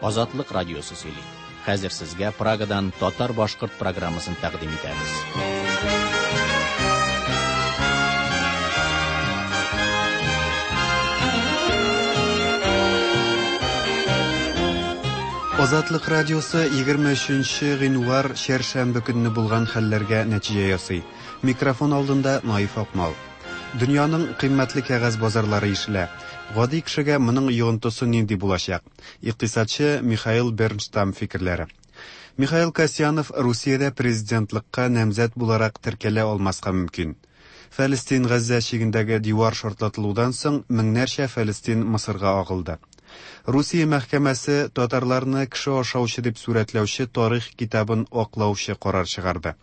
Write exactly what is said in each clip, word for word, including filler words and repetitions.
Азатлык радиосы сөйли. Хәзер сезгә Прагадан татар-башкорт программасын тәкъдим итәбез. Азатлык радиосы егерме өченче гыйнвар чәршәмбе көнне булган хәлләргә нәтиҗә ясый. Микрофон алдында Наиф Акмал. Дөньяның кыйммәтле кәгазь базарлары ишелә. Гади кешегә моның йогынтысы нинди булачак? Икътисадчы Михаил Бернштам фикерләре. Михаил Касьянов Русиядә президентлыкка намзәт буларак теркәлә алмаска мөмкин. Фәлестин Газзә чигендәге дивар шартлатылудан соң меңнәрчә фәлестин Мысырга агылды. Русия мәхкәмәсе татарларны кеше ашаучы дип сурәтләүче тарих китабын аклаучы карар чыгарды.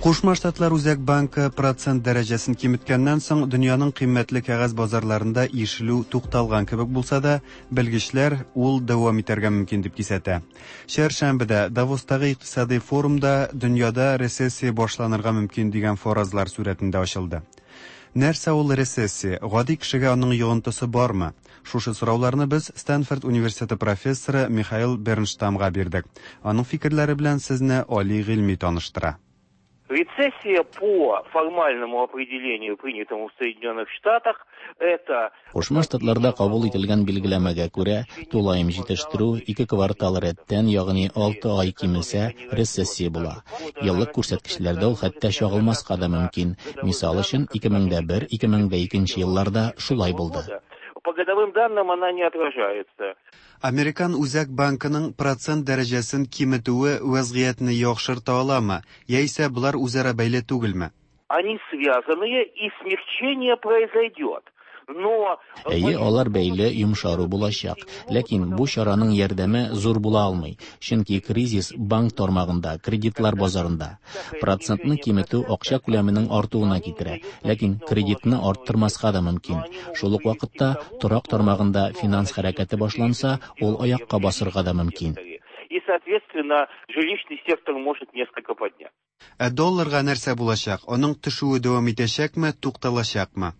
Кушма Штатлар Үзәк банкы процент дәрәҗәсен киметкәннән соң дөньяның кыйммәтле кәгазь базарларында ишелү тукталган кебек булса да, белгечләр ул дәвам итәргә мөмкин дип кисәтә. Чәршәмбедә Давостагы икътисади форумда дөньяда рецессия башланырга мөмкин дигән фаразлар сурәтендә ачылды. Нәрсә ул рецессия? Гади кешегә аның йогынтысы бармы? Шушы сорауларны без Стэнфорд университеты профессоры Михаил Бернштамга бирдек. Аның фикерләре белән сезне Али Гыйльми таныштыра. Рецессия по формальному определению, принятому в Соединенных Штатах, это... Кушма Штатларда кабул ителгән билгеләмәгә күрә, тулаем җитештерү ике квартал рәттән, ягъни алты ай кимесә, рецессия була. Еллык күрсәткечләрдә ул хәтта чагылмаска да мөмкин. Мисал өчен, ике мең дә бер, ике мең дә икенче елларда шулай булды. По годовым данным она не отражается. Американ Үзәк банкының процент дәрәҗәсен киметүе вәзгыятьне яхшырта аламы, яисә болар үзара бәйле түгелме? Они связаны, и смягчение произойдет. Но Әйе, алар бәйле, йомшару булачак. Ләкин бу чараның ярдәме зур була алмый, чөнки кризис банк тармагында, кредитлар базарында. Процентны киметү акча күләменең артуына китерә, ләкин кредитны арттырмаска да мөмкин. Шул ук вакытта торак тармагында финанс хәрәкәте башланса, ул аякка басырга да мөмкин. И, соответственно, жилищный сектор может несколько подняться. Ә долларга нәрсә булачак? Аның төшүе дәвам итәчәкме, тукталачакмы?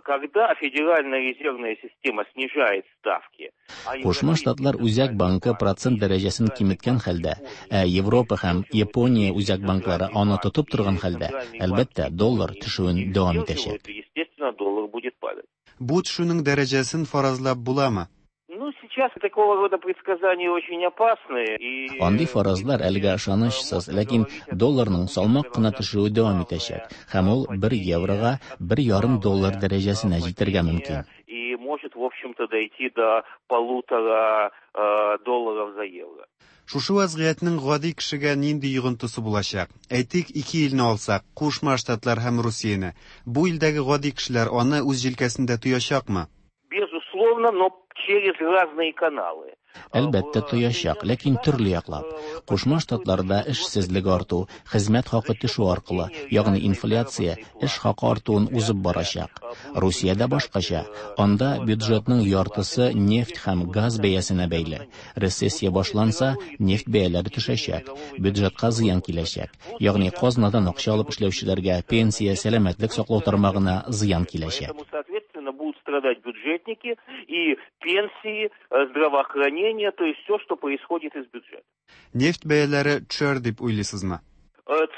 Когда Федеральная резервная система снижает ставки, а Кушма Штатлар Үзәк банкы процент дәрәҗәсен киметкән хәлдә, ә Европа һәм Япония үзәк банклары аны тотып торган хәлдә, әлбәттә, доллар төшүен дәвам итәчәк. Естественно, доллар будет падать. Бу төшүнең дәрәҗәсен фаразлап буламы? Ну, сейчас такого рода предсказания очень опасны. И... Андый фаразлар әлегә ышанычсыз, ләкин долларның салмак кына төшүе дәвам итәчәк, һәм ул бер еврога бер ярым доллар дәрәҗәсенә җитәргә мөмкин. И может, в общем-то, дойти до полутора, э, долларов за евро. Шушы вазгыятьнең гади кешегә нинди йогынтысы булачак? Әйтик, ике илне алсак, Кушма Штатлар һәм Русияне. Бу илдәге гади кешеләр аны үз җилкәсендә тоячакмы? Безусловно, но через разные каналы. Әлбәттә тоячак, ләкин төрле яклап. Кушма Штатларда эшсезлек арту, хезмәт хакы төшү аркылы, ягъни инфляция эш хакы артуын узып барачак. Русиядә башкача. Анда бюджетның яртысы нефть һәм газ бәясенә бәйле. Рецессия башланса, нефть бәяләре төшәчәк, бюджетка зыян киләчәк. Ягъни казнадан акча алып эшләүчеләргә пенсия, сәламәтлек саклау тармагына зыян киләчәк. Поэтому, соответственно, будут страдать бюджетники и пенсии, здравоохранение, то есть все, что происходит из бюджета. Нефть бәяләре төшәр дип уйлыйсызмы?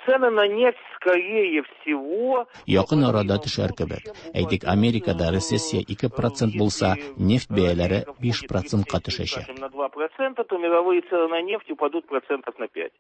Цены на нефть, скорее всего, Якын арада төшәр кебек. Әйтик, Америкада рецессия ике процент булса, нефть бәяләре биш процентка төшәчәк. Скажем, на два процента, то мировые цены на нефть упадут процентов на пять.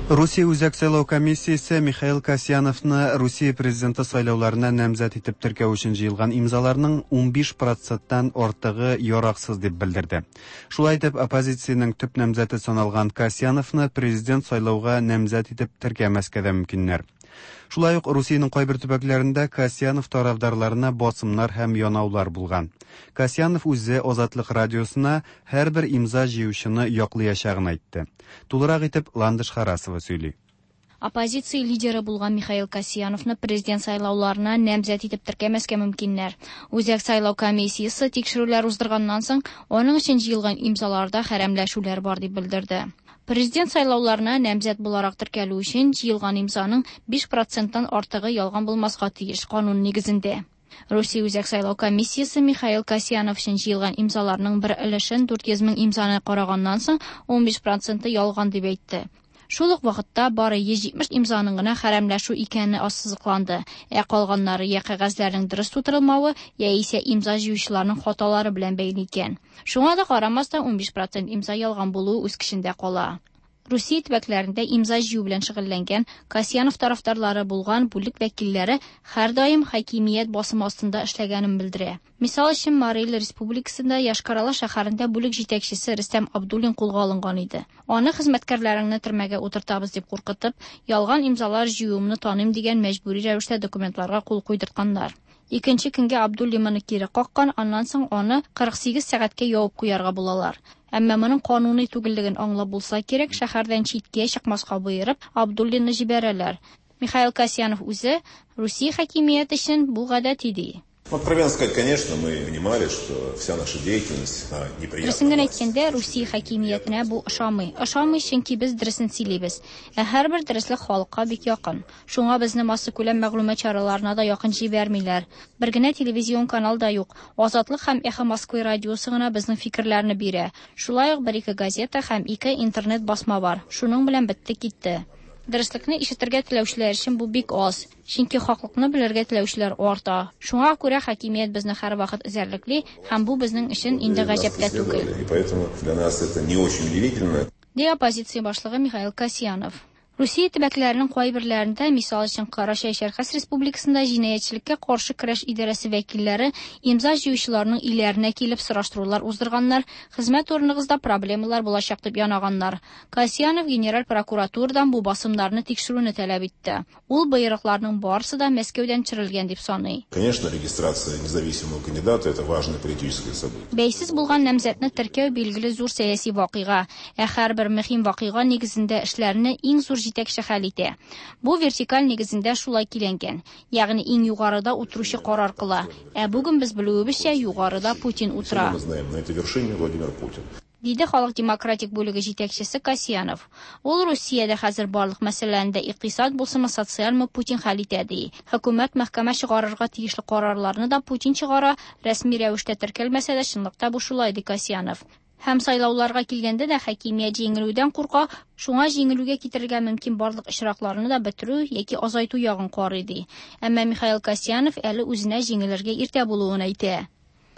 Русия Үзәк сайлау комиссиясе Михаил Касьяновны Русия президенты сайлауларына намзәт итеп теркәү өчен җыелган имзаларның унбиш проценттан артыгы яраксыз дип белдерде. Шулай итеп, оппозициянең төп намзәте саналган Касьяновны президент сайлауга намзәт итеп теркәмәскә дә мөмкиннәр. Шулай ук Русиянең кайбер төбәкләрендә Касьянов тарафдарларына басымнар һәм янаулар булган. Касьянов үзе Азатлык радиосына һәрбер имза җыючыны яклыячагын әйтте. Тулырак итеп Ландыш Харасова сөйли. Оппозиция лидеры булган Михаил Касьяновны президент сайлауларына намзәт итеп теркәмәскә мөмкиннәр. Үзәк сайлау комиссиясе тикшерүләр уздырганнан соң, аның өчен җыелган имзаларда хәрәмләшүләр бар дип белдерде. Президент сайлауларына намзәт буларак теркәлү өчен җыелган имзаның биш проценттан артыгы ялган булмаска тиеш канун нигезендә. Русия Үзәк сайлау комиссиясе Михаил Касьянов өчен җыелган имзаларның бер өлешен дүрт йөз мең имзаны караганнан соң ун биш проценты ялган дип әйтте. Шул ук вакытта бары йөз җитмеш имзаның гына хәрәмләшү икәне ассызыкланды. Ә калганнары я кәгазьләрнең дөрес тутырылмавы, яисә имза җыючыларның хаталары белән бәйле икән. Шуңа да карамастан ун биш процент имза ялган булуы үз көчендә кала. Русия төбәкләрендә имза җыю белән шөгыльләнгән Касьянов тарафдарлары булган бүлек вәкилләре һәрдаим хакимият басымы астында эшләгәнен белдерә. Мисал өчен, Марий Эл Республикасында Йошкар-Ола шәһәрендә бүлек җитәкчесе Рөстәм Абдуллин кулга алынган иде. Аны хезмәткәрләреңне төрмәгә утыртабыз дип куркытып, ялган имзалар җыюымны таныйм дигән мәҗбүри рәвештә документларга кул куйдыртканнар. Икенче көнгә Абдуллин моны кире каккан, аннан соң аны кырык сигез сәгатькә ябып куярга булалар. Әмма моның кануни түгеллеген аңлап булса кирәк, шәһәрдән читкә чыкмаска боерып, Абдуллинны җибәрәләр. Михаил Касьянов үзе Русия хакимияте өчен бу гадәти ди. Откровенно сказать, конечно, мы понимали, что вся наша деятельность, она неприятна. Дөресен генә әйткәндә, Русия хакимиятенә бу ошамый. Ошамый, чөнки без дөресен сөйлибез. Ә һәрбер дөреслек халыкка бик якын. Шуңа безне массакүләм мәгълүмат чараларына да якын җибәрмиләр. Бер генә телевизион канал да юк. Азатлык һәм Эхо Москвы радиосы гына безнең фикерләрне бирә. Шулай ук бер-ике газета һәм ике интернет басма бар. Шуның белән бетте китте. Дөреслекне ишетергә теләүчеләр өчен бу бик аз, чөнки хаклыкны белергә теләүчеләр арта. Шуңа күрә хакимият безне һәрвакыт эзәрлекли, һәм бу безнең өчен инде гаҗәп тә түгел. И поэтому для нас это не очень удивительно. Ди оппозиция башлыгы Михаил Касьянов. Русия төбәкләренең кайберләрендә, мисал өчен, Карачай-Чәркәс Республикасында җинаятьчелеккә каршы көрәш идарәсе вәкилләре имза җыючыларның өйләренә килеп сораштырулар уздырганнар, хезмәт урыныгызда проблемалар булачак дип янаганнар. Касьянов генераль прокуратурадан бу басымнарны тикшерүне таләп итте. Ул боерыкларның барысы да Мәскәүдән төшерелгән дип саный. Конечно, регистрация независимого кандидата это важное политическое событие. Бәйсез булган намзәтне теркәү билгеле зур сәяси вакыйга, ә һәрбер мөһим вакыйга нигезендә эшләрне иң зур җитәкче хәл итә. Бу вертикаль нигезендә шулай киләнгән, ягъни иң югарыда утыручы карар кыла. Ә бүген без белүебезчә, югарыда Путин утыра. Мы знаем, на этой вершине Владимир Путин. Диде Халык демократик бүлеге җитәкчесе Касьянов. Ул Русиядә хәзер барлык мәсьәләне дә икътисад булсынмы, социальмы Путин хәл итә ди. Хөкүмәт мәхкәмә чыгарырга тиешле карарларны да Путин чыгара, рәсми рәвештә теркәлмәсә дә чынлыкта бу шулай ди Касьянов. Һәм сайлауларга килгәндә дә хакимият җиңелүдән курка, шуңа җиңелүгә китерергә мөмкин барлык очракларны да бетерү яки азайту ягын карый ди. Әмма Михаил Касьянов әле үзенә җиңелергә иртә булуын әйтә.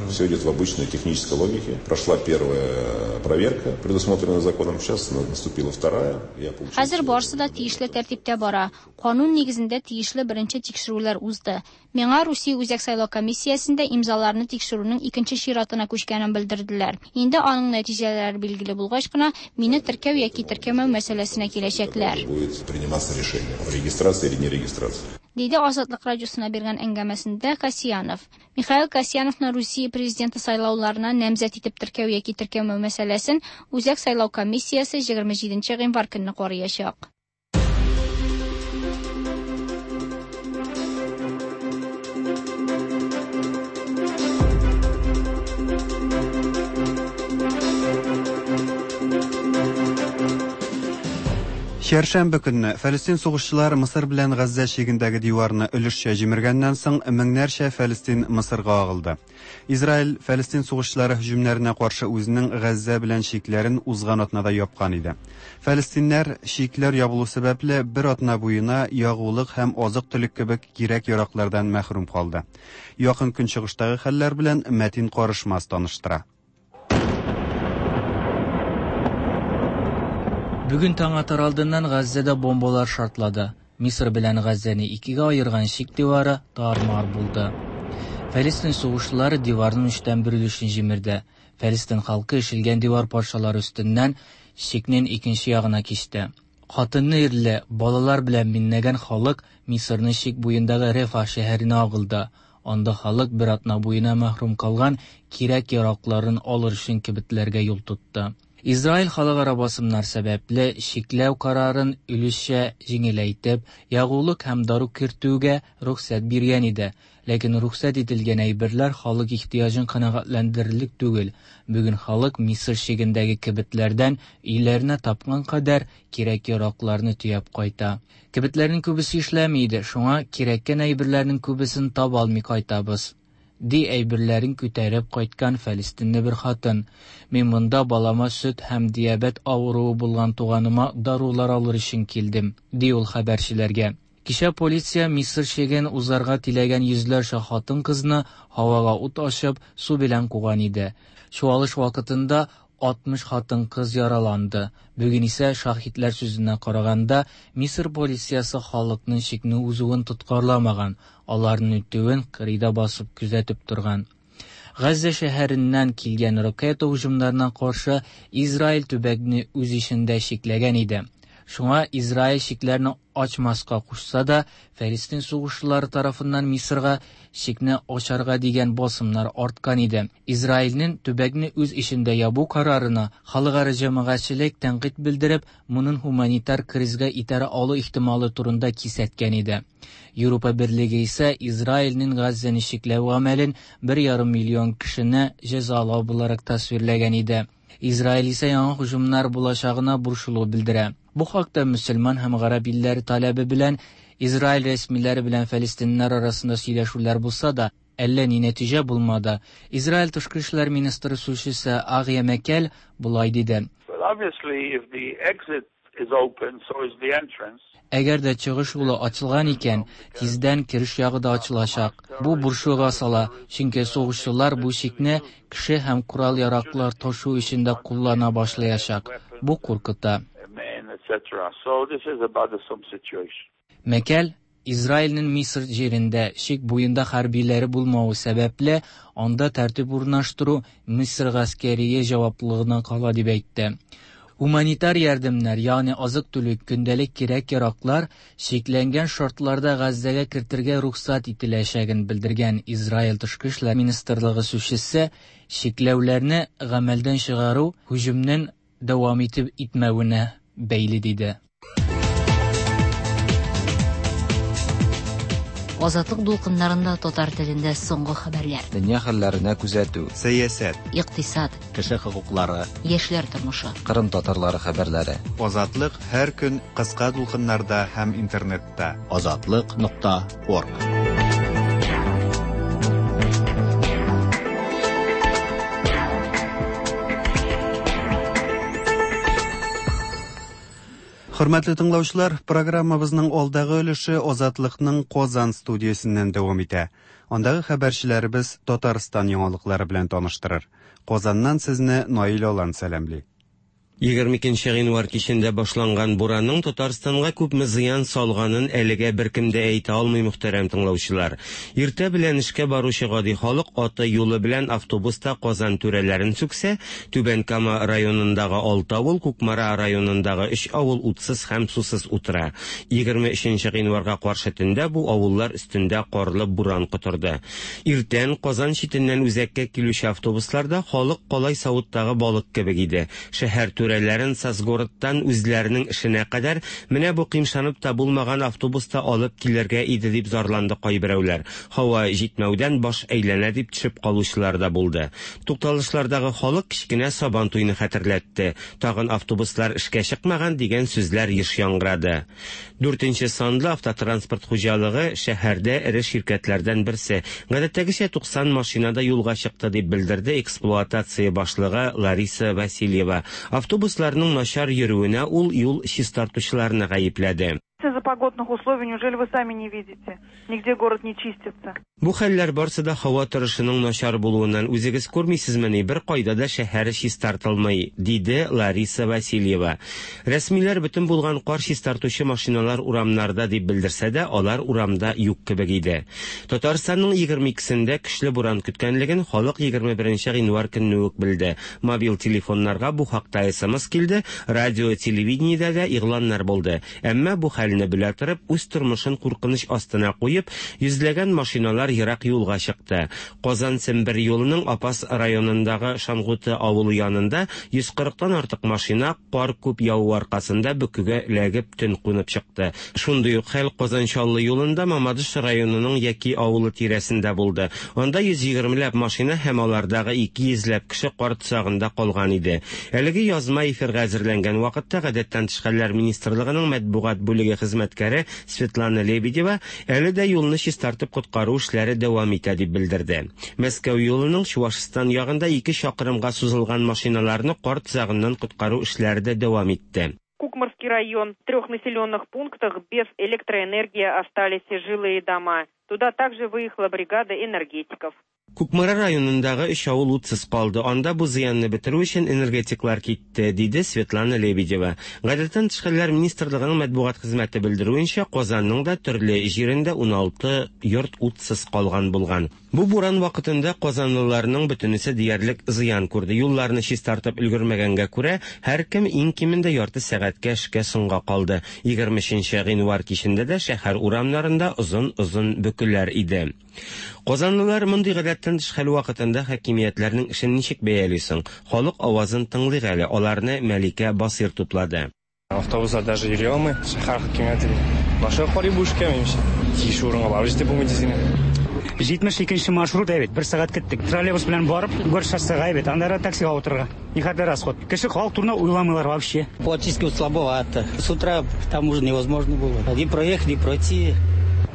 Все идет в обычной технической логике. Прошла первая проверка, предусмотренная законом. Сейчас наступила вторая. Я получил Хәзер барысы да тиешле тәртиптә бара. Канун нигезендә тиешле беренче тикшерүләр узды. Миңа Русия Үзәк сайлау комиссиясендә имзаларны тикшерүнең икенче чиратына күчкәнен белдерделәр. Инде аның нәтиҗәләре билгеле булгач кына мине теркәү яки теркәмәү мәсьәләсенә киләчәкләр. Будет приниматься решение о регистрации или нерегистрации. Диде Азатлык радиосына биргән әңгәмәсендә Касьянов. Михаил Касьяновны Русия президенты сайлауларына намзәт итеп теркәү яки теркәмәү мәсьәләсен Үзәк сайлау комиссиясе егерме җиденче гыйнвар көнне караячак. Чәршәмбе көнне Фәлестин сугышчылары Мысыр белән Газзә чигендәге диварны өлешчә җимергәннән соң меңнәрчә Фәлестин Мысырга агылды. Израиль Фәлестин сугышчылары һөҗүмнәренә каршы үзенең Газзә белән чикләрен узган атнада япкан иде. Фәлестиннәр чикләр ябылу сәбәпле бер атна буена ягулык һәм азык-төлек кебек кирәк-яраклардан мәхрүм калды. Якын көнчыгыштагы хәлләр белән Мәтин Карышмас таныштыра. Бүген таң атар алдыннан Газзәдә бомбалар шартлады. Мисыр белән Газзәне икегә аерган чик дивары тар-мар булды. Фәлестин сугышчылары диварның өчтән бер өлешен җимерде. Фәлестин халкы ишелгән дивар парчалары өстеннән чикнең икенче ягына кичте. Хатынны-ирле, балалар белән меңләгән халык Мисырның чик буендагы Рефа шәһәренә агылды. Анда халык бер атна буена мәхрүм калган кирәк-яракларын алыр өчен кибетләргә юл тотты. Израиль халыкара басымнар сәбәпле чикләү карарын өлешчә җиңеләйтеп, ягулык һәм дару кертүгә рөхсәт биргән иде. Ләкин рөхсәт ителгән әйберләр халык ихтыяҗын канәгатьләндерерлек түгел. Бүген халык Мисыр чигендәге кибетләрдән өйләренә тапкан кадәр кирәк-яракларны төяп кайта. Кибетләрнең күбесе эшләми иде, шуңа кирәккән әйберләрнең күбесен таба алмый кайтабыз, ди әйберләрен күтәреп кайткан фәлестинле бер хатын. Мин монда балама сөт һәм диабет авыруы булган туганыма дарулар алыр өчен килдем, ди ул хәбәрчеләргә. Кичә полиция Мисыр чиген узарга теләгән йөзләрчә хатын-кызны һавага ут ачып, су белән куган иде. Чуалыш вакытында алтмыш хатын-кыз яраланды. Бүген исә шаһитләр сүзенә караганда, Мисыр полициясе халыкның чикне узуын тоткарламаган, аларның үтүен кырыйда басып күзәтеп торган. Газзә шәһәреннән килгән ракета һөҗүмнәренә каршы Израиль төбәкне үз эчендә чикләгән иде. Шуңа Израиль чикләрне ачмаска кушса да, Фәлестин сугышчылары тарафыннан Мисырга чикне ачарга дигән басымнар арткан иде. Израильнең төбәкне үз эчендә ябу карарына халыкара җәмәгатьчелек тәнкыйть белдереп, моның гуманитар кризга итәрә алу ихтималы турында кисәткән иде. Европа Берлеге исә Израильнең Газзәне чикләү гамәлен бер ярым миллион кешене җәзалау буларак тасвирләгән иде. Израиль исә яңа һөҗүмнәр булачагына борчылу белдерә. Бу хакта мөселман һәм гарәп илләре таләбе белән Израиль рәсмиләре белән фәлестиннәр арасында сөйләшүләр булса да, әллә ни нәтиҗә булмады. Израиль тышкы эшләр министры сүзчесе Агия Мәкәл болай диде. Әгәр дә чыгыш юлы ачылган икән, тиздән кереш ягы да ачылачак. Бу борчуга сала, чөнки сугышчылар бу чикне кеше һәм корал-яраклар ташу өчен дә куллана башлаячак. Бу куркыта. Мәкәл Израильнең Мисыр җирендә чик буенда хәрбиләре булмавы сәбәпле, анда тәртип урнаштыру Мисыр гаскәрие җаваплылыгына кала дип әйтте. Гуманитар ярдәмнәр, ягъни азык-төлек, көндәлек кирәк-яраклар чикләнгән шартларда Газзәгә кертергә рөхсәт ителәчәген белдергән Израиль тышкы эшләр министрлыгы сүзчесе чикләүләрне гамәлдән чыгару һөҗүмнең дәвам итеп итмәвенә бәйле диде. Азатлык дулкыннарында татар телендә соңгы хәбәрләр. Дөнья хәлләренә күзәтү. Сәясәт. Икътисад. Кеше хокуклары. Яшьләр тормышы. Кырым татарлары хәбәрләре. Азатлык һәр көн кыска дулкыннарда һәм интернетта. Азатлык нокта орг. Хөрмәтле тыңлаучылар, программабызның алдагы өлеше Азатлыкның Казан студиясеннән дәвам итә. Андагы хәбәрчеләребез Татарстан яңалыклары белән таныштырыр. Казаннан сезне Наил Алан сәламли. Егерме икенче гыйнвар кичендә башланган буранның Татарстанга күпме зыян салганын әлегә беркем дә әйтә алмый, мөхтәрәм тыңлаучылар. Иртә белән эшкә баручы гади халык аты юлы белән автобуста Казан түрәләрен сүксә, Түбән Кама районындагы алты авыл, Кукмара районындагы өч авыл утсыз һәм сусыз утыра. Егерме өченче гыйнварга каршы төндә бу авыллар өстендә карлы буран котырды. Иртән Казан читеннән үзәккә килүче автобусларда халык калай савыттагы балык кебек иде. Шәһәр түрәләрен Сазгородтан үзләренең эшенә кадәр менә бу кыймшанып та булмаган автобуста алып килергә иде дип зарланды кайберәүләр. Һава җитмәүдән баш әйләнә дип төшеп калучылар да булды. Тукталышлардагы халык кечкенә Сабан туйны хәтерләтте. Тагын автобуслар эшкә чыкмаган дигән сүзләр еш яңгырады. Дүртенче санлы автотранспорт хуҗалыгы шәһәрдә эре ширкәтләрдән берсе. Гадәттәгечә туксан машинада юлга чыкты дип белдерде эксплуатация башлыгы Лариса Васильева. Автобусларның начар йөрүенә ул юл чистартучыларны гаепләде. За погодных условий, неужели вы сами не видите? Нигде город не чистится. Бу хәлләр барсы да һава торышының начар булуыннан, үзегез күрмисезмени, бер кайда да шәһәр чистартылмый, диде Лариса Васильева. Рәсмиләр бөтен булган кар чистартучы машиналар урамнарда дип белдерсә дә, алар урамда юк кебек иде. Татарстанның егерме икесендә көчле буран көткәнлеген халык егерме беренче гыйнвар көнне үк белде. Мобиль телефоннарга бу хакта эс эм эс килде, радио, телевидениедә дә игъланнар булды. Әмма бу хәлне белә торып, үз тормышын куркыныч астына куеп, йөзләгән машиналар ерак юлга чыкты. Казан-Сембер юлының Апас районындагы Шангуты авылы янында йөз кырыктан артык машина кар күп яву аркасында бөкегә эләгеп төн кунып чыкты. Шундый ук хәл Казан-Чаллы юлында Мамадыш районының Яки авылы тирәсендә булды. Анда йөз егермеләп машина һәм алардагы ике йөзләп кеше кар тозагында калган иде. Әлеге язма эфирга әзерләнгән вакытта Гадәттән тыш хәлләр министрлыгының матбугат бүлеге хезмәткәре Светлана Лебедева әле дә юлны чистартып коткару эшләре дәвам итә дип белдерде. Мәскәү юлының Чувашстан ягында ике чакрымга сузылган машиналарны кар тозагыннан коткару эшләре дә дәвам итте. Кукмарский район. В трех населенных пунктах без электроэнергии остались жилые дома. Туда также выехала бригада энергетиков. Кукмара районындагы өч авыл утсыз калды. Анда бу зыянны бетерү өчен энергетиклар китте, диде Светлана Лебедева. Гадәттән тыш хәлләр министрлыгының матбугат хезмәте белдерүенчә, Казанның да төрле җирендә уналты йорт утсыз калган булган. Бу буран вакытында казанлыларның бөтенесе диярлек зыян күрде. Юлларны чистартып өлгермәгәнгә күрә, һәркем иң кимендә ярты сәгатькә эшкә соңга калды. Егерме өченче гыйнвар кичендә дә шәһәр урамнарында озын-озын бөкеләр иде. Казанлылар мондый гадәттән тыш хәл вакытында хакимиятләрнең эшен ничек бәялисең? Халык авазын тыңлыйк әле, аларны Мәликә Басир туплады. Автобуслар даже йөри алмый, шәһәр хакимияте. Башка карый бу эшкә минемчә. Тиеш урынга барып җитеп булмый дисең. Җитмеш икенче маршрут әйбәт, бер сәгать киттек. Троллейбус белән барып, Горшоссега әйбәт, аннары таксига утырырга. Никадәр расход. Кеше халык турында уйламыйлар вообще. Платически слабовато. С утра там уже невозможно было. Ни проехать, ни пройти.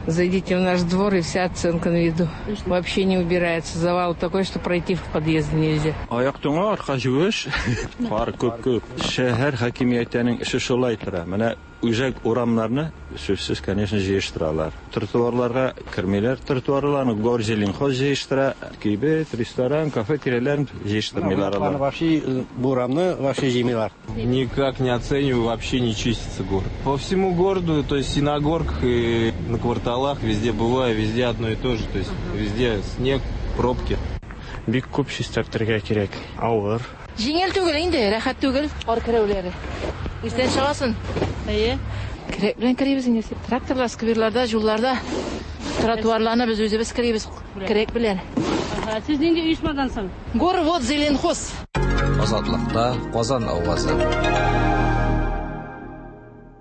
Зайдите в наш двор, и вся оценка на виду. Вообще не убирается. Завал такой, что пройти в подъезд нельзя. Аяк туңа, арка җуеш. Кар күп-күп. Шәһәр хакимиятенең эше шулай тора. Менә үзәк урамнарны сүзсез, конечно, җыештыралар. Тротуарларга кермиләр. Тротуарларны Горзеленхоз җыештыра. Кибет, ресторан, кафе тирәләрен җыештырмыйлар алар. Вообще бу урамны вообще җыймыйлар. Никак не оцениваю, вообще не чистится город. По всему городу, то есть и на горках, и на кварталах, везде бываю, везде одно и то же, то есть везде снег, пробки. Бик күп чистартырга кирәк, авыр. Җиңел түгел инде, рәхәт түгел, кар керүләре. Иртән чыгасың. Әйе. Керәк белән керәбез инде. Тракторлар, скверларда, юлларда, тротуарларны без үзебез керәбез, керәк белән. Сез нинди оешмадан соң? Горвод Зеленхоз. Азатлыкта Казан авазы.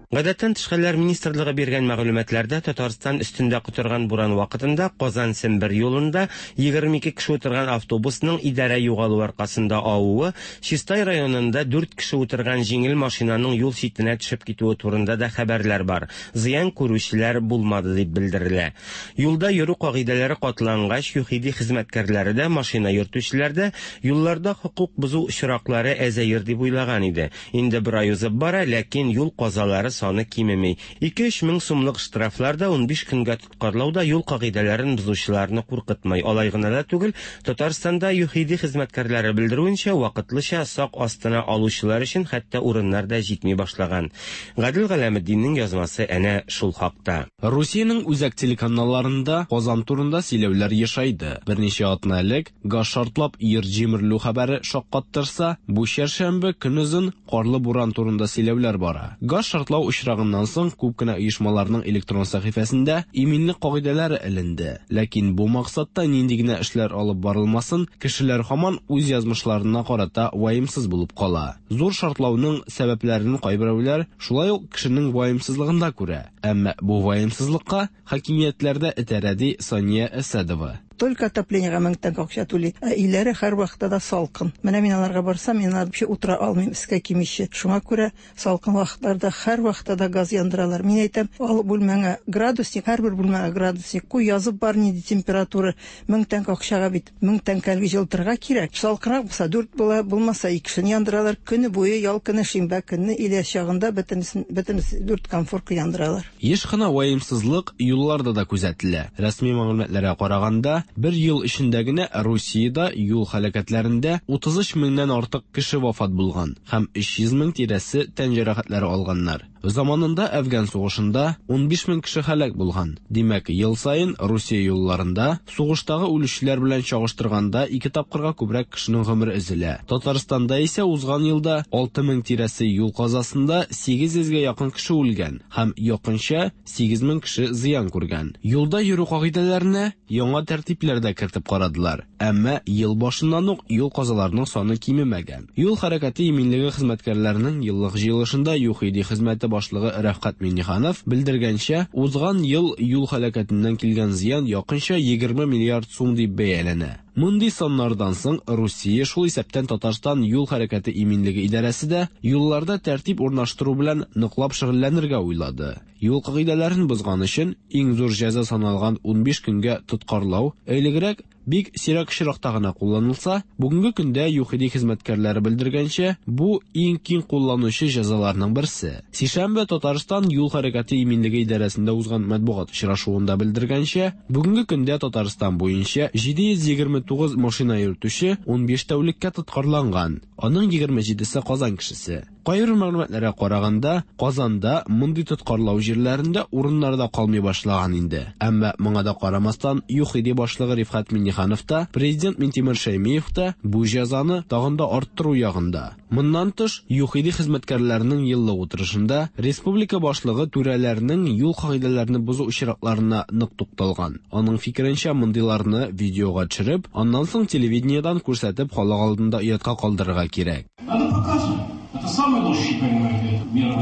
Гадәттән тыш хәлләр министрлыгы биргән мәгълүматларда Татарстан өстендә котырган буран вакытында Казан-Сембер юлында егерме ике кеше утырган автобусның идарә югалу аркасында авуы, Чистай районында дүрт кеше утырган җиңел машинаның юл читенә төшеп китүе турында да хәбәрләр бар. Зыян күрүчеләр булмады дип белдерелә. Юлда йөрү кагыйдәләре катлангач, ЮХИДИ хезмәткәрләре дә, машина йөртүчеләр дә юлларда хокук бозу очраклары әзәер дип уйлаган иде. Инде бер ай узып бара, ләкин юл казалары саны кимеми. Ике-өч мең сумлык штрафлар да унбиш көнгә тоткарлау да юл кагыйдәләрен бозучыларны куркытмый. Алай гына да түгел, Татарстанда ЮХИДИ хезмәткәрләре белдерүенчә, вакытлыча сак астына алучылар өчен хәтта урыннар да җитми башлаган. Гадел Галәметдиннең язмасы әнә шул хакта. Русиянең үзәк телеканалларында Казан турында сөйләүләр ешайды. Берничә атна элек газ шартлап йорт җимерелү хәбәре шаккаттырса, бу чәршәмбе көнозын карлы буран турында сөйләүләр бара. Газ шартлау очрагыннан соң күп кенә оешмаларның электрон сәхифәсендә иминлек кагыйдәләре эленде. Ләкин бу максатта нинди генә эшләр алып барылмасын, кешеләр һаман үз язмышларына карата ваемсыз булып кала. Зур шартлауның сәбәпләрен кайберәүләр шулай ук кешенең ваемсызлыгында күрә. Әмма бу ваемсызлыкка хакимиятләрдә этәрә, ди Сания Әсәдова. Только отоплениега мең тәңкә акча түли. Ә өйләре һәрвакытта да салкын. Менә мин аларга барсам, мин алар вообще утыра алмыйм, өскә кимичә. Шуңа күрә салкын вакытларда һәрвакытта да газ яндыралар. Мин әйтәм, ал бүлмәңә градусник, һәрбер бүлмәгә градусник куй, язып бар нинди температура. Мең тәңкә акчага бит мең тәңкәлек җылытырга кирәк. Салкынрак булса дүрт була, булмаса икесен яндыралар. Көне буе ял көне, шимбә көнне или чагында бөтенесен бөтенесе дүрт комфорка яндыралар. Еш кына ваемсызлык юлларда да күзәтелә. Рәсми мәгълүматларга караганда, бер ел эчендә генә Русиядә юл һәлакәтләрендә утыз өч меңнән артык кеше вафат булган һәм өч йөз мең тирәсе тән җәрәхәтләре алганнар. Заманында Әфган сугышында унбиш мең кеше һәлак булган. Димәк, ел саен Русия юлларында сугыштагы үлүчеләр белән чагыштырганда ике тапкырга күбрәк кешенең гомере өзелә. Татарстанда исә узган елда алты мең тирәсе юл казасында сигез йөзгә якын кеше үлгән һәм якынча сигез мең кеше зыян күргән. Юлда йөрү кагыйдәләренә яңа тәртипләр дә кертеп карадылар. Әмма ел башыннан ук юл казаларының саны кимемәгән. Юл хәрәкәте иминлеге хезмәткәрләренең еллык җыелышында ЮХИДИ хезмәте башлыгы Рәфкать Минниханов белдергәнчә, узган ел юл һәлакәтеннән килгән зыян якынча егерме миллиард сум дип бәяләнә. Мондый саннардан соң Русия, шул исәптән Татарстан юл хәрәкәте иминлеге идарәсе дә юлларда тәртип урнаштыру белән ныклап шөгыльләнергә уйлады. Юл кагыйдәләрен бозган өчен иң зур җәза саналган унбиш көнгә тоткарлау элегрәк бик сирәк очракта гына кулланылса, бүгенге көндә ЮХИДИ хезмәткәрләре белдергәнчә, бу иң киң кулланучы җәзаларның берсе. Сишәмбе Татарстан юл хәрәкәте иминлеге идарәсендә узган матбугат очрашуында белдергәнчә, бүгенге көндә Татарстан буенча җиде йөз егерме тугыз машина йөртүче унбиш тәүлеккә тоткарланган. Аның егерме җидесе Казан кешесе. Кайбер мәгълүматларга караганда, Казанда мондый тоткарлау җирләрендә урыннар да калмый башлаган инде. Әмма моңа да карамастан, ЮХИДИ башлыгы Рифкать Минниханов та, президент Минтимер Шәймиев та бу җәзаны тагын да арттыру ягында. Моннан тыш, ЮХИДИ хезмәткәрләренең еллык утырышында республика башлыгы түрәләрнең юл кагыйдәләрен бозу очракларына нык тукталган. Аның фикеренчә, мондыйларны видеога төшереп, аннан соң телевидениедән күрсәтеп халык алдында оятка калдырырга кирәк.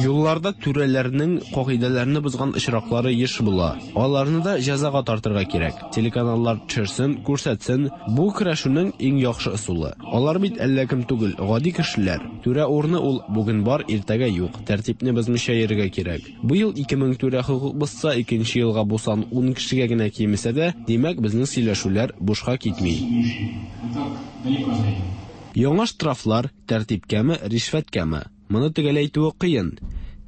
Юлларда түрәләрнең кагыйдәләрне бозган очраклары еш була. Аларны да җәзага тартырга кирәк. Телеканаллар төшерсен, күрсәтсен. Бу көрәшүнең иң яхшы ысулы. Алар бит әллә кем түгел, гади кешеләр. Түрә урыны ул бүген бар, иртәгә юк. Тәртипне бозмыйча йөрергә кирәк. Быел ике мең түрә хокук бозса, икенче елга бу сан ун кешегә генә кимесә дә, димәк, безнең сөйләшүләр бушка китми. Яңа штрафлар тәртипкәме, ришвәткәме? Моны төгәл әйтүе кыен.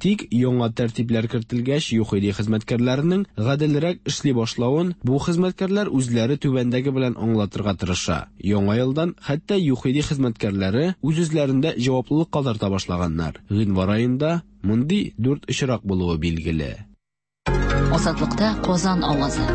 Тик яңа тәртипләр кертелгәч, ЮХИДИ хезмәткәрләренең гаделрәк эшли башлавын бу хезмәткәрләр үзләре түбәндәге белән аңлатырга тырыша. Яңа елдан хәтта ЮХИДИ хезмәткәрләре үз-үзләрендә җаваплылыкка тарта башлаганнар. Гыйнвар аенда мондый дүрт очрак булуы билгеле. Азатлыкта Казан авазы.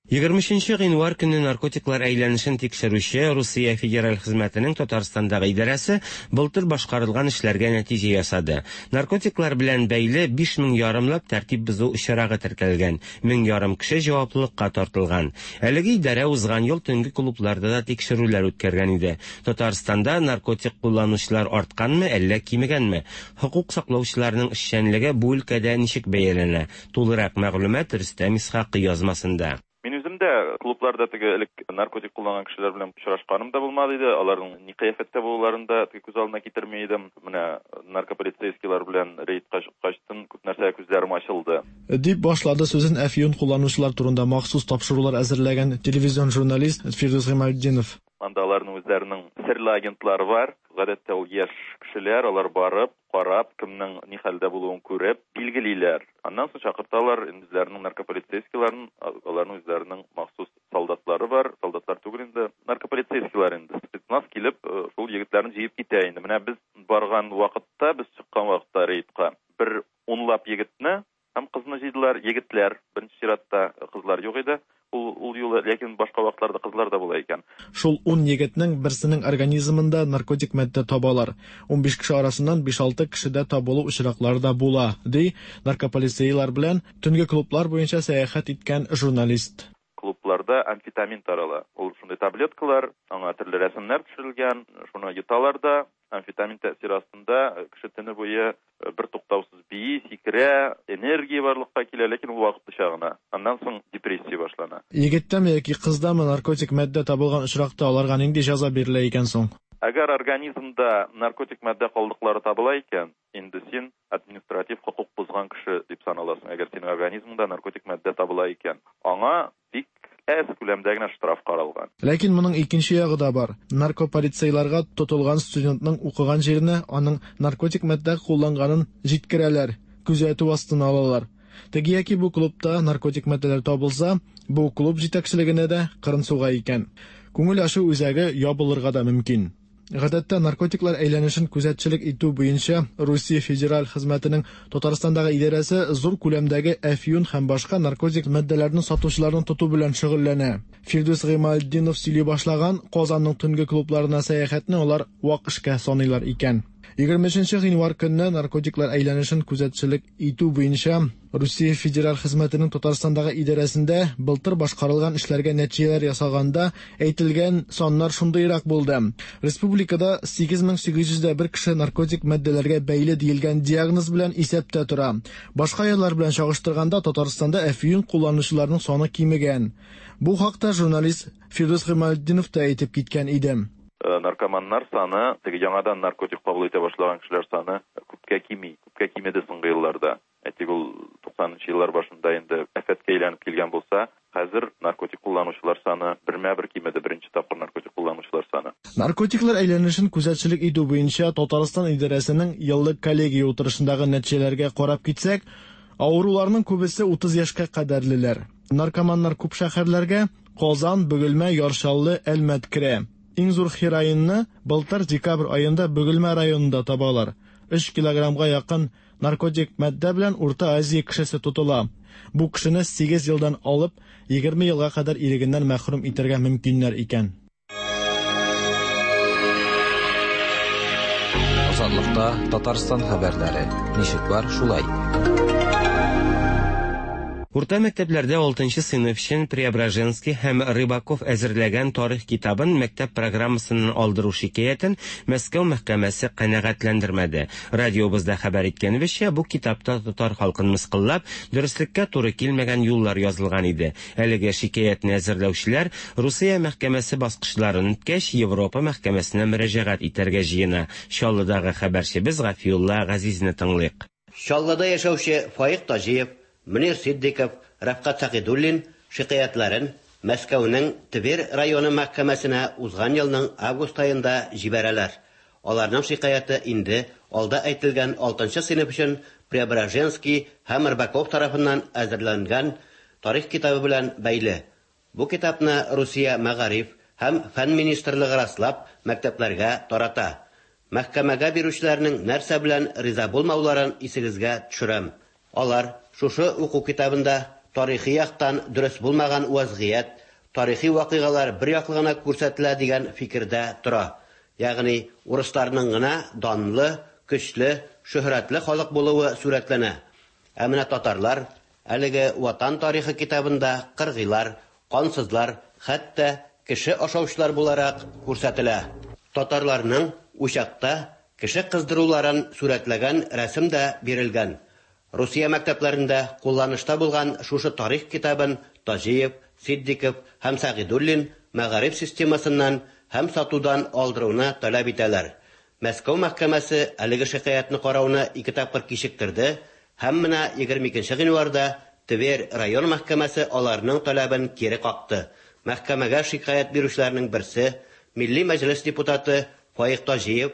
Егерме өченче гыйнвар көнне наркотиклар әйләнешен тикшерүче Русия Федераль хезмәтенең Татарстандагы идарәсе былтыр башкарылган эшләргә нәтиҗә ясады. Наркотиклар белән бәйле биш мең ярымлап тәртип бозу очрагы теркәлгән, мең ярым кеше җаваплылыкка тартылган. Әлеге идарә узган ел төнге клубларда да тикшерүләр үткәргән иде. Татарстанда наркотик кулланучылар артканмы, әллә кимегәнме? Хокук саклаучыларның эшчәнлеге бу өлкәдә ничек бәяләнә? Тулырак мәгълүмат Рөстәм Исхакый язмасында. Мин үзем дә клубларда теге элек наркотик кулланган кешеләр белән очрашканым да булмады иде. Аларның ни кыяфәттә булуларын да теге күз алдына китерми идем. Менә наркополицейскийлар белән рейдка чыккачтын күп нәрсә күзләрем ачылды. Дип башлады сүзен әфьюн кулланучылар турында махсус тапшырулар әзерләгән телевизион журналист Фирдүс Гыймалтдинов. Анда аларның үзләренең серле агентлары бар. Гадәттә ул яшь кешеләр, алар барып, карап, кемнең ни хәлдә булуын күреп, билгелиләр. Аннан соң чакырталар үзләренең наркополицейскийларын, аларның үзләренең махсус солдатлары бар, солдатлар түгел инде, наркополицейскийлар инде. Спецназ килеп, шул егетләрне җыеп китә инде. Менә без барган вакытта, без чыккан вакытта рейдка бер унлап егетне һәм кызны җыйдылар. Егетләр, беренче чиратта кызлар юк иде. Ул, ул юлы, ләкин башка вакытларда кызлар да була икән. Шул ун егетнең берсенең организмында наркотик матдә табалар. Унбиш кеше арасыннан биш-алты кешедә табылу очраклары да була, ди наркополицейлар белән төнге клублар буенча сәяхәт иткән журналист. Клубларда амфетамин тарала. Ул шундый таблеткалар, аңа төрле рәсемнәр төшерелгән, шуны йоталар да Амфетамин тәэсире астында кеше төне буе бер туктаусыз бии, сикерә, энергия барлыкка килә, ләкин ул вакытлыча гына. Аннан соң депрессия башлана. Егеттәме яки кыздамы наркотик матдә табылган очракта аларга нинди җәза бирелә икән соң? Әгәр организмда наркотик матдә калдыклары табыла икән, инде син административ хокук бозган кеше дип саналасың. Әгәр синең организмыңда наркотик матдә табыла икән, аңа бик әз күләмдә генә штраф каралган. Ләкин моның икенче ягы да бар. Наркополицейларга тотылган студентның укыган җиренә аның наркотик матдә кулланганын җиткерәләр, күзәтү астына алалар. Теге яки бу клубта наркотик матдәләр табылса, бу клуб җитәкчелегенә дә кырын суга икән. Күңел ачу үзәге ябылырга да мөмкин. Гадәттә наркотиклар әйләнешен күзәтчелек итү буенча Русия Федераль хезмәтенең Татарстандагы идарәсе зур күләмдәге әфьюн һәм башка наркотик матдәләрне сатучыларны тоту белән шөгыльләнә. Фирдүс Гыймалтдинов сөйли башлаган Казанның төнге клубларына сәяхәтне алар вак эшкә саныйлар икән. егерме өченче гыйнвар көнне наркотиклар әйләнешен күзәтчелек итү буенча Русия Федераль хезмәтенең Татарстандагы идарәсендә былтыр башкарылган эшләргә нәтиҗәләр ясаганда әйтелгән саннар шундыйрак булды. Республикада сигез мең сигез йөз дә бер кеше наркотик матдәләргә бәйле диелгән диагноз белән исәптә тора. Башка еллар белән чагыштырганда Татарстанда әфьюн кулланучыларның саны кимегән. Бу хакта журналист Фирдүс Гыймалтдинов та әйтеп киткән иде. Наркоманнар саны, теге яңадан наркотик кабул итә башлаган кешеләр саны күпкә кими, күпкә кимеде соңгы елларда. Әйтик, ул туксанынчы еллар башында инде афәткә әйләнеп килгән булса, хәзер наркотик кулланучылар саны бермә-бер кимеде, беренче тапкыр наркотик кулланучылар саны. Наркотиклар әйләнешен күзәтчелек итү буенча Татарстан идарәсенең еллык коллегия утырышындагы нәтиҗәләргә карап китсәк, авыруларның күбесе утыз яшькә кадәрлеләр. Наркоманнар күп шәһәрләргә Казан, Бөгелмә, Яр Чаллы, Әлмәт керә. Иң зур хероинны былтыр декабрь аенда Бөгелмә районында табалар. Өч килограммга якын наркотик матдә белән Урта Азия кешесе тотыла. Бу кешене сигез елдан алып егерме елга кадәр ирегеннән мәхрүм итәргә мөмкиннәр икән. Азатлыкта Татарстан хәбәрләре. Ничек бар, шулай. Урта мәктәпләрдә алтынчы сыйныф өчен Преображенский һәм Рыбаков әзерләгән тарих китабын мәктәп программасыннан алдыру шикаятен Мәскәү мәхкәмәсе канәгатьләндермәде. Радиобызда хәбәр иткәнебезчә, бу китапта татар халкын мыскыллап, дөреслеккә туры килмәгән юллар язылган иде. Әлеге шикаятне әзерләүчеләр Русия мәхкәмәсе баскычларын үткәч, Европа мәхкәмәсенә мөрәҗәгать итәргә җыена. Чаллыдагы хәбәрчебез Гафиулла Газизне тыңлыйк. Чаллыда яшәүче Фаик Таҗиев, Мөнир Сиддиков, Рафкат Сәгыйдуллин шикаятьләрен Мәскәүнең Тверь районы мәхкәмәсенә узган елның август аенда җибәрәләр. Аларның шикаяте инде алда әйтелгән алтынчы сыйныф өчен Преображенский һәм Рыбаков тарафыннан әзерләнгән тарих китабы белән бәйле. Бу китапны Русия мәгариф һәм фән министрлыгы раслап мәктәпләргә тарата. Мәхкәмәгә бирүчеләрнең нәрсә белән риза булмауларын исегезгә төшерәм. Алар шушы уку китабында тарихи яктан дөрес булмаган вазгыять, тарихи вакыйгалар бер яклы гына күрсәтелә дигән фикердә тора. Ягъни урысларның гына данлы, көчле, шөһрәтле халык булуы сурәтләнә. Ә менә татарлар әлеге ватан тарихы китабында кыргыйлар, кансызлар, хәтта кеше ашаучылар буларак күрсәтелә. Татарларның учакта кеше кыздыруларын сурәтләгән рәсем дә бирелгән. Русия мәктәпләрендә кулланышта булган шушы тарих китабын Таҗиев, Сиддиков һәм Сәгыйдуллин мәгариф системасыннан һәм сатудан алдыруны таләп итәләр. Мәскәү мәхкәмәсе әлеге шикаятьне карауны ике тапкыр кичектерде һәм менә егерме икенче гыйнварда Тверь район мәхкәмәсе аларның таләбен кире какты. Мәхкәмәгә шикаять бирүчеләрнең берсе Милли Мәҗлес депутаты Фаик Таҗиев: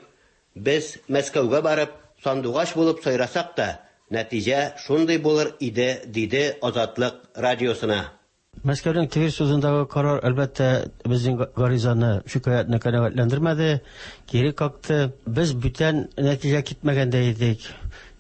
"Без Мәскәүгә барып сандугач булып сайрасак та, нәтиҗә шундый булыр иде", диде Азатлык радиосына. Мәскәүнең Тверь судындагы карар әлбәттә безнең гаризаны, шикаятьне канәгатьләндермәде, кире какты. Без бүтән нәтиҗә китмәгәндә идек.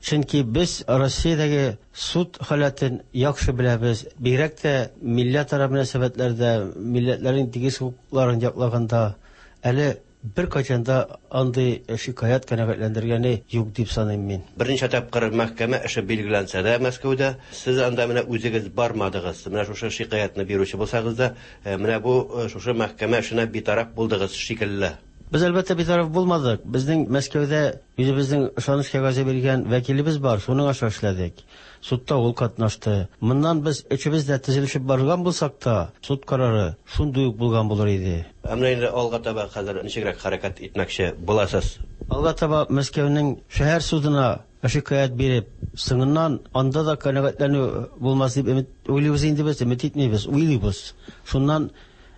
Чөнки без Россиядәге суд халәтен яхшы беләбез. Бигрәк тә милләтара мөнәсәбәтләрдә, милләтләрнең тигез хокукларын яклаганда әле бер кайчан да андый шикаять канәгатьләндергәне юк дип саныйм мин. Берничә тапкыр мәхкәмә эше билгеләнсә дә Мәскәүдә, сез анда менә үзегез бармадыгыз. Менә шушы шикаятьне бирүче булсагыз да, менә бу шушы мәхкәмә эшенә битараф булдыгыз шикелле. Без әлбәттә битараф булмадык. Безнең Мәскәүдә үзебезнең ышаныч кәгазе биргән вәкилебез бар, шуның аша эшләдек. Судта ул катнашты. Моннан без өчебез дә төзелешеп барган булсак та, суд карары шундый ук булган булыр иде. Ә менә инде алга таба хәзер ничегрәк хәрәкәт итмәкче буласыз? Алга таба Мәскәүнең шәһәр судына шикаять биреп, соңыннан анда да канәгатьләнү булмас дип өмет уйлыйбыз инде без, өмет итмибез, уйлыйбыз. Шуннан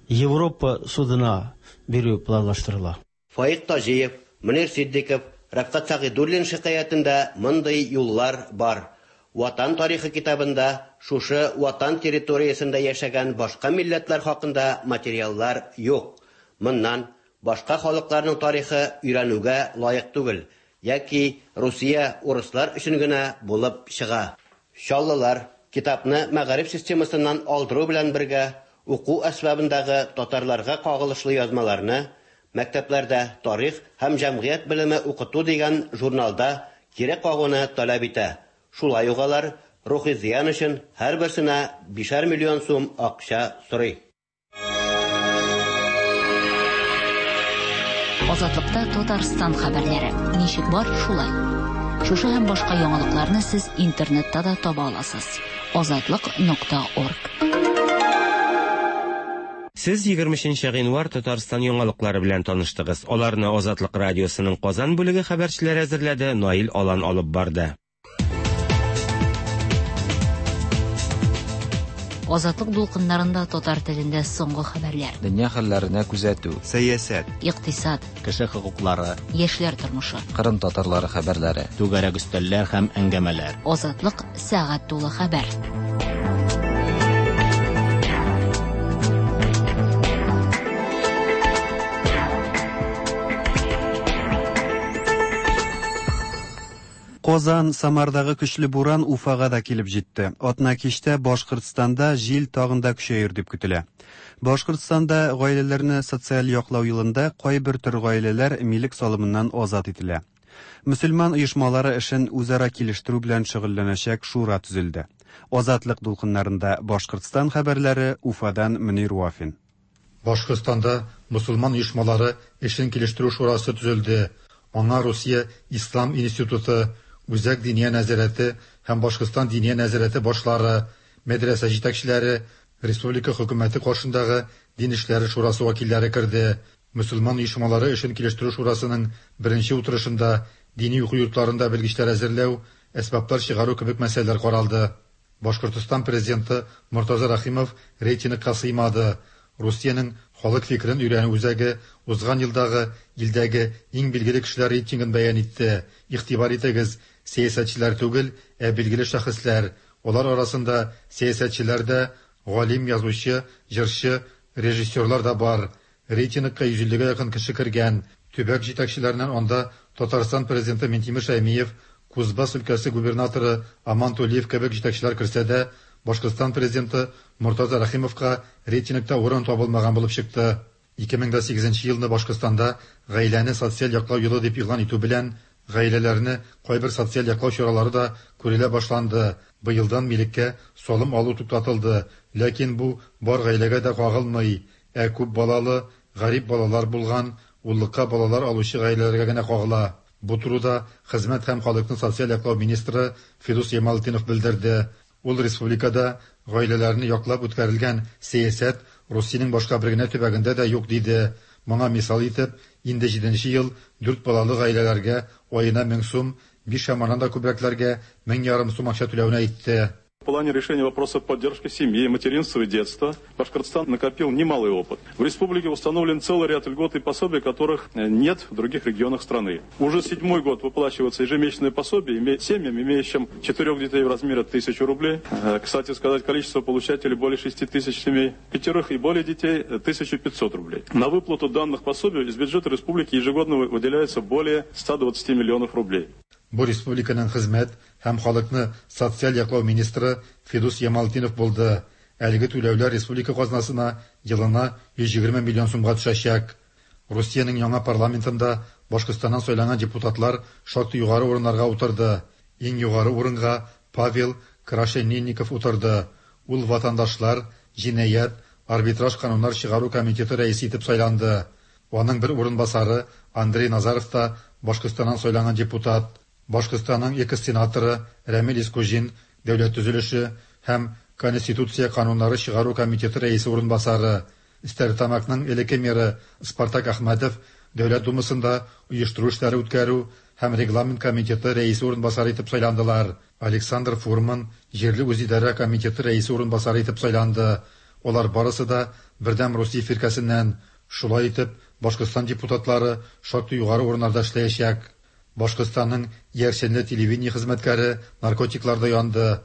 Европа судына бирү планлаштырыла. Фаик Таҗиев, Мөнир Сиддиков, Рәфкать Сәгыйдуллин шикаятендә мондый юллар бар. Ватан тарихы китабында шушы ватан территориясендә яшәгән башка милләтләр хакында материаллар юк. Моннан башка халыкларның тарихы өйрәнүгә лаек түгел, яки Русия урыслар өчен генә булып чыга. Чаллылар китапны мәгариф системасыннан алдыру белән бергә уку әсбабындагы татарларга кагылышлы язмаларны мәктәпләрдә тарих һәм җәмгыять белеме укыту дигән журналда кире кагуны таләп итә. Шулай ук алар рухи зыян өчен һәрберсенә бишәр миллион сум акча сорый. Азатлыкта Татарстан хәбәрләре. Ничек бар, шулай. Шушы һәм башка яңалыкларны сез интернетта да таба аласыз. азатлык нокта орг. Сез егерме өченче гыйнвар Татарстан яңалыклары белән таныштыгыз. Аларны Азатлык радиосының Казан бүлеге хәбәрчеләре әзерләде, Наил Алан алып барды. Азатлык дулкыннарында татар телендә соңгы хәбәрләр. Дөнья хәлләренә күзәтү, сәясәт, икътисад, кеше хокуклары, яшьләр тормышы, Кырым татарлары хәбәрләре, түгәрәк өстәлләр һәм әңгәмәләр. Азатлык сәгать тулы хәбәр. Казан, Самардагы көчле буран Уфага да килеп җитте. Атна кичтә Башкортстанда җил тагын да көчәер дип көтелә. Башкортстанда гаиләләрне социаль яклау елында кайбер төр гаиләләр милек салымыннан азат ителә. Мөселман оешмалары эшен үзара килештерү белән шөгыльләнәчәк шура төзелде. Азатлык дулкыннарында Башкортстан хәбәрләре, Уфадан Мөнир Вафин. Башкортстанда мөселман оешмалары эшен килештерү шурасы төзелде. Аңа Русия Ислам институты, Үзәк Диния нәзарәте һәм Башкортстан Диния нәзарәте башлары, мәдрәсә җитәкчеләре, республика хөкүмәте каршындагы дин эшләре шурасы вәкилләре керде. Мөселман оешмалары эшен килештерү шурасының беренче утырышында дини уку йортларында белгечләр әзерләү, әсбаплар чыгару кебек мәсьәләләр каралды. Башкортстан президенты Мортаза Рахимов рейтингка сыймады. Русиянең халык фикерен өйрәнү үзәге узган елдагы илдәге иң билгеле кешеләр рейтингын бәян итте. Игътибар итегез, сәясәтчеләр түгел, ә билгеле шәхесләр. Алар арасында сәясәтчеләр дә, галим, язучы, җырчы, режиссерлар да бар. Рейтингка йөз иллегә якын кеше кергән. Төбәк җитәкчеләреннән анда Татарстан президенты Минтимер Шәймиев, Кузбасс өлкәсе губернаторы Аман Тулиев кебек җитәкчеләр керсә дә, Башкортстан президенты Мортаза Рахимовка рейтингта урын табылмаган булып чыкты. ике мең сигезенче елны Башкортстанда гаиләне социаль яклау елы дип игълан итү белән гаиләләрне кайбер социаль яклау чаралары да күрелә башланды. Быелдан милеккә салым алу туктатылды, ләкин бу бар гаиләгә дә кагылмый, ә күп балалы, гарип балалар булган, уллыкка балалар алучы гаиләләргә генә кагыла. Бу турыда хезмәт һәм халыкны социаль яклау министры Фидус Ямалтдинов белдерде. Ул республикада гаиләләрне яклап үткәрелгән сәясәт Русиянең башка бер генә төбәгендә дә юк диде. Моңа мисал итеп, инде җиденче ел дүрт балалы гаиләләргә аена мең сум, биш һәм аннан да күбрәкләргә мең ярым сум акча түләүне әйтте. В плане решения вопроса поддержки семьи, материнства и детства Башкортостан накопил немалый опыт. В республике установлен целый ряд льгот и пособий, которых нет в других регионах страны. Уже седьмой год выплачиваются ежемесячные пособия семьям, имеющим четырех детей в размере тысячи рублей. Кстати сказать, количество получателей более шести тысяч семей, пятерых и более детей тысяча пятьсот рублей. На выплату данных пособий из бюджета республики ежегодно выделяется более ста двадцати миллионов рублей. Бу республиканың хезмәт һәм халыкны социаль яклау министры Фидус Ямалтдинов булды. Әлеге түләүләр республика казнасына елына йөз егерме миллион сумга төшәчәк. Русиянең яңа парламентында Башкортстаннан сайланган депутатлар шактый югары урыннарга утырды. Иң югары урынга Павел Крашенинников утырды. Ул ватандашлар, җинаять, арбитраж кануннар чыгару комитеты рәисе итеп сайланды. Аның бер урынбасары Андрей Назаров та Башкортстаннан сайланган депутат. Башкортстанның экс-сенаторы Рәмил Искуҗин дәүләт төзелеше һәм Конституция кануннары чыгару комитеты рәисе урынбасары. Стәрлетамакның элекке мэры Спартак Әхмәтов Дәүләт Думасында оештыру эшләре үткәрү һәм регламент комитеты рәисе урынбасары итеп сайландылар. Александр Фурман җирле үзидарә комитеты рәисе урынбасары итеп сайланды. Алар барысы да Бердәм Русия фиркәсеннән. Шулай итеп, Башкортстан депутатлары шактый югары урыннарда эшләячәк. Башкортстанның Ярсенле телевидение хезмәткәре наркотикларда янды.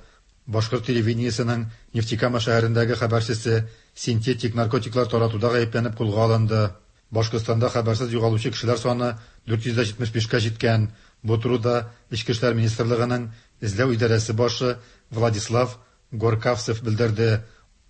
Башкорт телевидениесенең Нефтекама шәһәрендәге хәбәрчесе синтетик наркотиклар таратуда гаепләнеп кулга алынды. Башкортстанда хәбәрсез югалучы кешеләр саны дүрт йөз җитмеш бишкә җиткән. Бу турыда Эчке эшләр министрлыгының эзләү идарәсе башы Владислав Горкавцев белдерде.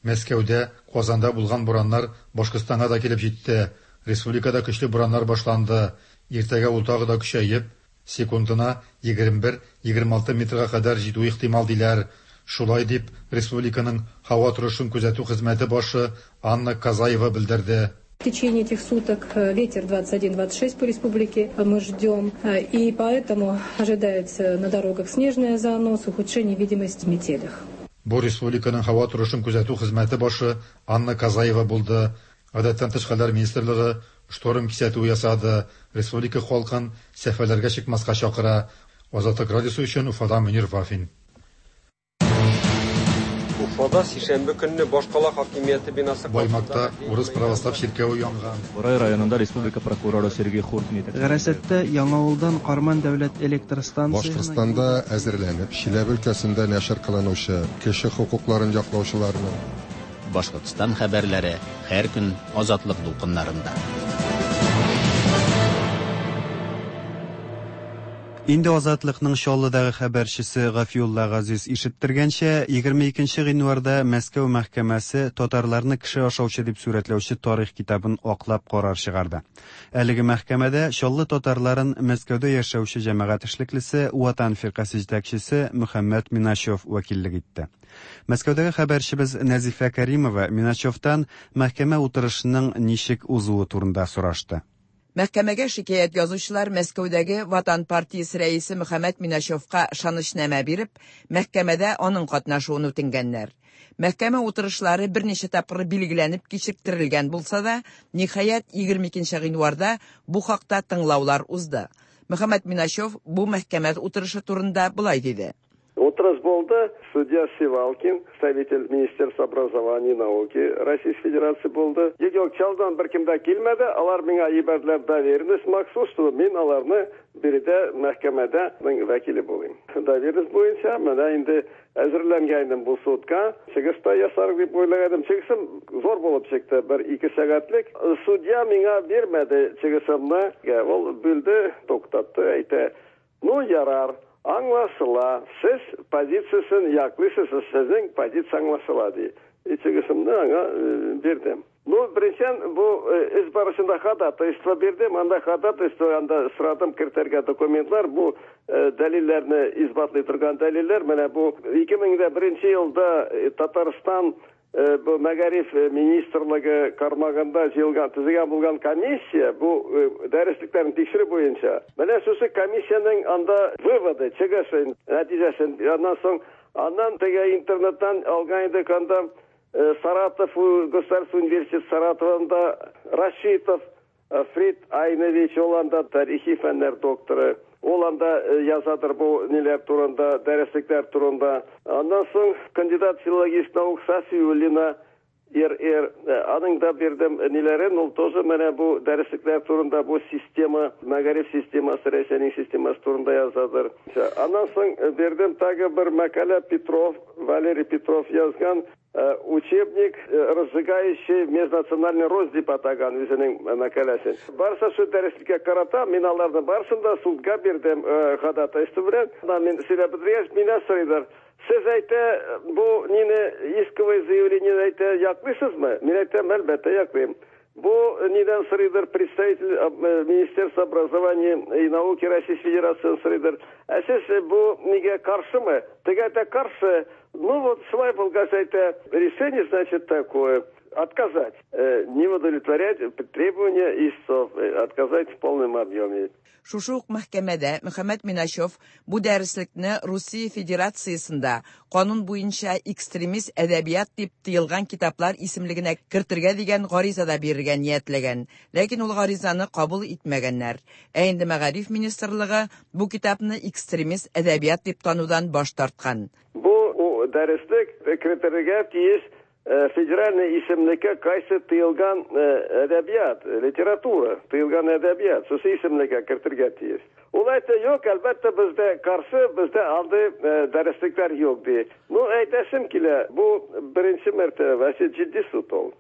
Мәскәүдә, Казанда булган бураннар Башкортстанга да килеп җитте. Республикада көчле бураннар башланды. Иртәгә ул тагы да көчәеп, секундына егерме бер егерме алты метрга кадәр җитү ихтимал диләр. Шулай дип, республиканың һава торышын күзәтү хезмәте башы Анна Казаева белдерде. В течение этих суток ветер двадцать один двадцать шесть по республике мы ждем, и поэтому ожидается на дорогах снежный занос, ухудшение видимости в метелях. Бу республиканың һава торышын күзәтү хезмәте башы Анна Казаева булды. Гадәттән тыш хәлләр министрлыгы шторм кисәтүе ясады. Республика халкын сәфәрләргә чыкмаска чакыра. Азатлык радиосы өчен Уфадан Мөнир Вафин. Уфада сишәмбе көнне башкала хакимияте бинасы Баймакта урыс православ чиркәве янган. Бурай районында республика прокуроры Сергей Хуртин Гарасәттә Яңавылдан Карман дәүләт электр станциясенә Башкортстанда әзерләнеп, Чиләбе өлкәсендә нәшер кылынучы кеше хокукларын яклаучыларның Башкортстан хәбәрләре һәр көн Азатлык дулкыннарында. Инде Азатлыкның Чаллыдагы хәбәрчесе Гафиулла Газиз ишеттергәнчә, егерме икенче гыйнварда Мәскәү мәхкәмәсе татарларны кеше ашаучы дип сурәтләүче тарих китабын аклап карар чыгарды. Әлеге мәхкәмәдә Чаллы татарларын Мәскәүдә яшәүче җәмәгать эшлеклесе Ватан фиркасе җитәкчесе Мөхәммәт Миначев вәкиллек итте. Мәскәүдәге хәбәрчебез Нәзифә Каримова Миначевтан мәхкәмә утырышының ничек узуы турында сорашты. Мәхкәмәгә шикаять язучылар Мәскәүдәге Ватан партиясе рәисе Мөхәммәт Миначевка ышанычнамә биреп, мәхкәмәдә аның катнашуын үтенгәннәр. Мәхкәмә утырышлары берничә тапкыр билгеләнеп кичектерелгән булса да, ниһаять егерме икенче гыйнварда бу хакта тыңлаулар узды. Мөхәммәт Миначев бу мәхкәмә утырышы турында болай диде. Утырыш булды. Судья Сивалкин, представитель Министерства образования и науки Российской Федерации булды. Юк, Чалдан бер кем дә килмәде. Алар миңа җибәрделәр доверенность махсус, чтобы мин аларны биредә мәхкәмәдә вәкиле булыйм. Доверенность буенча менә инде әзерләнгән идем бу судка. Чыгыш та ясар дип уйлаган идем. Чыгышым зур булып чыкты, бер ике сәгатьлек. Судья миңа бирмәде чыгышымны. Ул бүлде, туктатты, әйтә: "Ну, ярар. Аңлашыла, сез позициясын яклыйсыз, сезнең позиция аңлашыла", ди. Чыгышымны аңа бирдем. Ну, беренчедән, бу эш барышында ходатайство бирдем, анда ходатайство, анда сорадым кертергә документлар, бу дәлилләрне исбатлый торган дәлилләр. Менә бу ике мең дә беренче елда Татарстан бу мәгариф министрлыгы кармагында җыелган, төзегән булган комиссия бу дәреслекләрне тикшерү буенча. Менә шушы комиссиянең анда выводы, чыгышы, нәтиҗәсен, аннан соң аннан теге интернеттан алган идек, анда Саратов государственный университет Саратовында Рашитов Фрид Айнович, ул анда тарихи фәннәр докторы. Ул анда язадыр бу ниләр турында, дәреслекләр турында. Аннан соң кандидат филологических наук Сафиуллина Р Р, аның да бирдем ниләрен, ул тоже менә бу дәреслекләр турында, бу система, мәгариф системасы, Рәсәйнең системасы турында язадыр. Аннан соң бирдем тагы бер мәкалә Петров, Валерий Петров язган учебник, разжигающий межнациональный рост дип атаган үзенең мәкаләсен. Барса шу дәреслеккә карата, мин аларны барсын да судка бирдем ходатайство белән. Мин сөйләп бетергәч, миннән сорыйлар: "Сез әйтә, бу нине исковое заявление әйтә яклыйсызмы?" Мин әйтәм: "Әлбәттә яклыйм". Бу нидән сорыйдыр представитель Министерства образования и науки Российской Федерации сорыйдыр: "Ә сез бу нигә каршымы?" Теге әйтә: "Каршы". Ну вот шулай булгач әйтә, решение значит такое. Отказать, не удовлетворять требования истцов, отказать в полном объеме. Шушы ук мәхкәмәдә Мөхәммәт Миначев бу дәреслекне Русия Федерациясендә канун буенча экстремист әдәбият дип тыелган китаплар исемлегенә кертергә дигән гариза да бирергә ниятләгән. Ләкин ул гаризаны кабул итмәгәннәр. Ә инде Мәгариф министрлыгы бу китапны экстремист әдәбият дип танудан баш тарткан. Бу дәреслек кертергә тиеш федеральный исемлеккә кайсы тыелган әдәбият, литература, тыелган әдәбият, шушы исемлеккә кертергә тиеш. Ул әйтте, юк, әлбәттә, бездә каршы, бездә андый дәреслекләр юк, ди. Ну, әйтәсем килә, бу беренче мәртәбә, вообще җитди суд ул.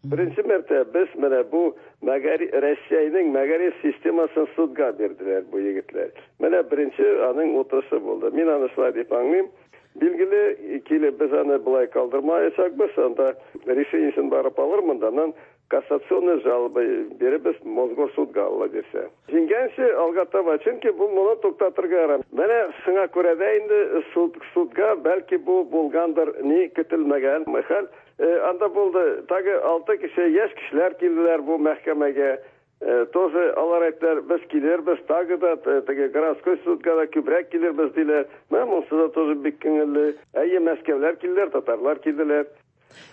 Беренче мәртәбә без менә бу Россиянең мәгариф системасын судга бирделәр бу егетләр. Менә беренче аның утырышы булды. Мин аны шулай дип аңлыйм. Билгеле, килеп без аны былай калдырмаячакбыз, анда решениесен барып алырмын да, аннан кассационный жалоба биребез Мосгорсудга, Алла бирсә. Җиңгәнче алга таба, чөнки бу моны туктатырга ярам. Менә шуңа күрә дә инде суд, судга бәлки бу булгандыр, ни көтелмәгән хәл. Анда булды, тагы алты кеше, яшь кешеләр килделәр бу мәхкәмәгә. Тоже алар әйттеләр, без килербез, тагы да, теге городской судка да күбрәк килербез диләр. Менә монысы да тоже бик күңелле. Әйе, Мәскәүләр килделәр, татарлар килделәр.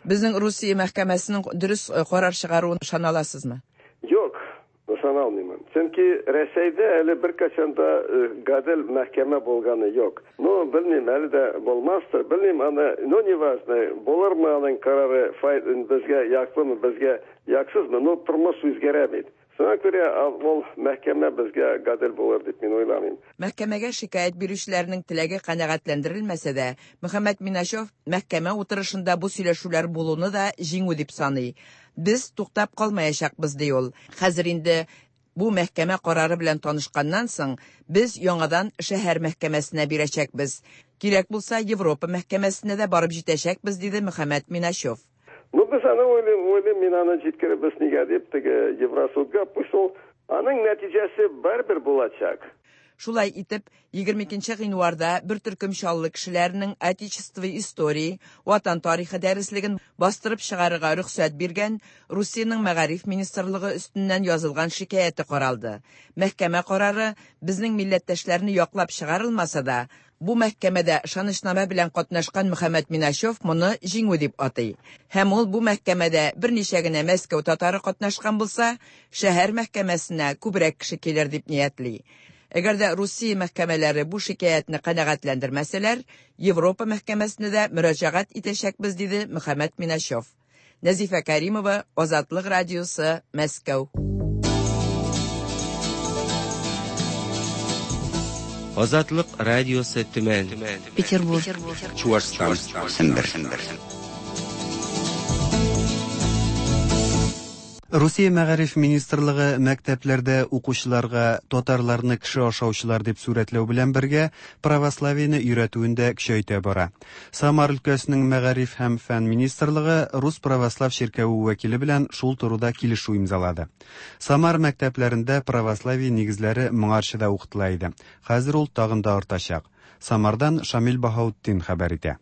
Безнең Русия мәхкәмәсенең дөрес карар чыгаруын ышана аласызмы? Юк, ышана алмыйм. Чөнки Рәсәйдә әле беркайчан да гадел мәхкәмә булганы юк. Ну, белмим, әле дә булмастыр, белмим, аны, ну, не важно, булырмы аның карары, безгә яклымы, безгә яксызмы, ну, тормыш үзгәрә бит. Шуңа күрә ул мәхкәмә безгә гадел булыр дип мин уйламыйм. Мәхкәмәгә шикаять бирүчеләрнең теләге канәгатьләндерелмәсә дә, Мөхәммәт Миначев мәхкәмә утырышында бу сөйләшүләр булуны да җиңү дип саный. Без туктап калмаячакбыз, ди ул. Хәзер инде бу мәхкәмә карары белән танышканнан соң без яңадан шәһәр мәхкәмәсенә бирәчәкбез. Кирәк булса, Европа мәхкәмәсенә дә барып җитәчәкбез, диде Мөхәммәт Миначев. Ну, без аны уйлыйм, уйлыйм, мин аны җиткеребез нигә дип, теге Евросудга, пусть ул, аның нәтиҗәсе барыбер булачак. Шулай итеп, егерме икенче гыйнварда бер төркем Чаллы кешеләренең Отечество истории, Ватан тарихы дәреслеген бастырып чыгарырга рөхсәт биргән Русиянең Мәгариф министрлыгы өстеннән язылган шикаяте каралды. Мәхкәмә карары безнең милләттәшләрне яклап чыгарылмаса да, бу мәхкәмәдә ышанычнамә белән катнашкан Мөхәммәт Миначев моны җиңү дип атый. Һәм ул бу мәхкәмәдә берничә генә Мәскәү татары катнашкан булса, шәһәр мәхкәмәсенә күбрәк кеше килер дип ниятли. Әгәр дә Русия мәхкәмәләре бу шикаятьне канәгатьләндермәсәләр, Европа мәхкәмәсенә дә мөрәҗәгать итәчәкбез, диде Мөхәммәт Миначев. Нәзифә Каримова, Азатлык радиосы, Мәскәү. Азатлык радиосы, Төмән, Петербург, Чуашстан, Сембер. Русия Мәгариф министрлыгы мәктәпләрдә укучыларга татарларны кеше ашаучылар дип сурәтләү белән бергә православиене өйрәтүен дә көчәйтә бара. Самар өлкәсенең Мәгариф һәм фән министрлыгы Рус православ чиркәве вәкиле белән шул турыда килешү имзалады. Самар мәктәпләрендә православие нигезләре моңарчы да укытыла иде. Хәзер ул тагын да артачак. Самардан Шамил Баһаутдин хәбәр итә.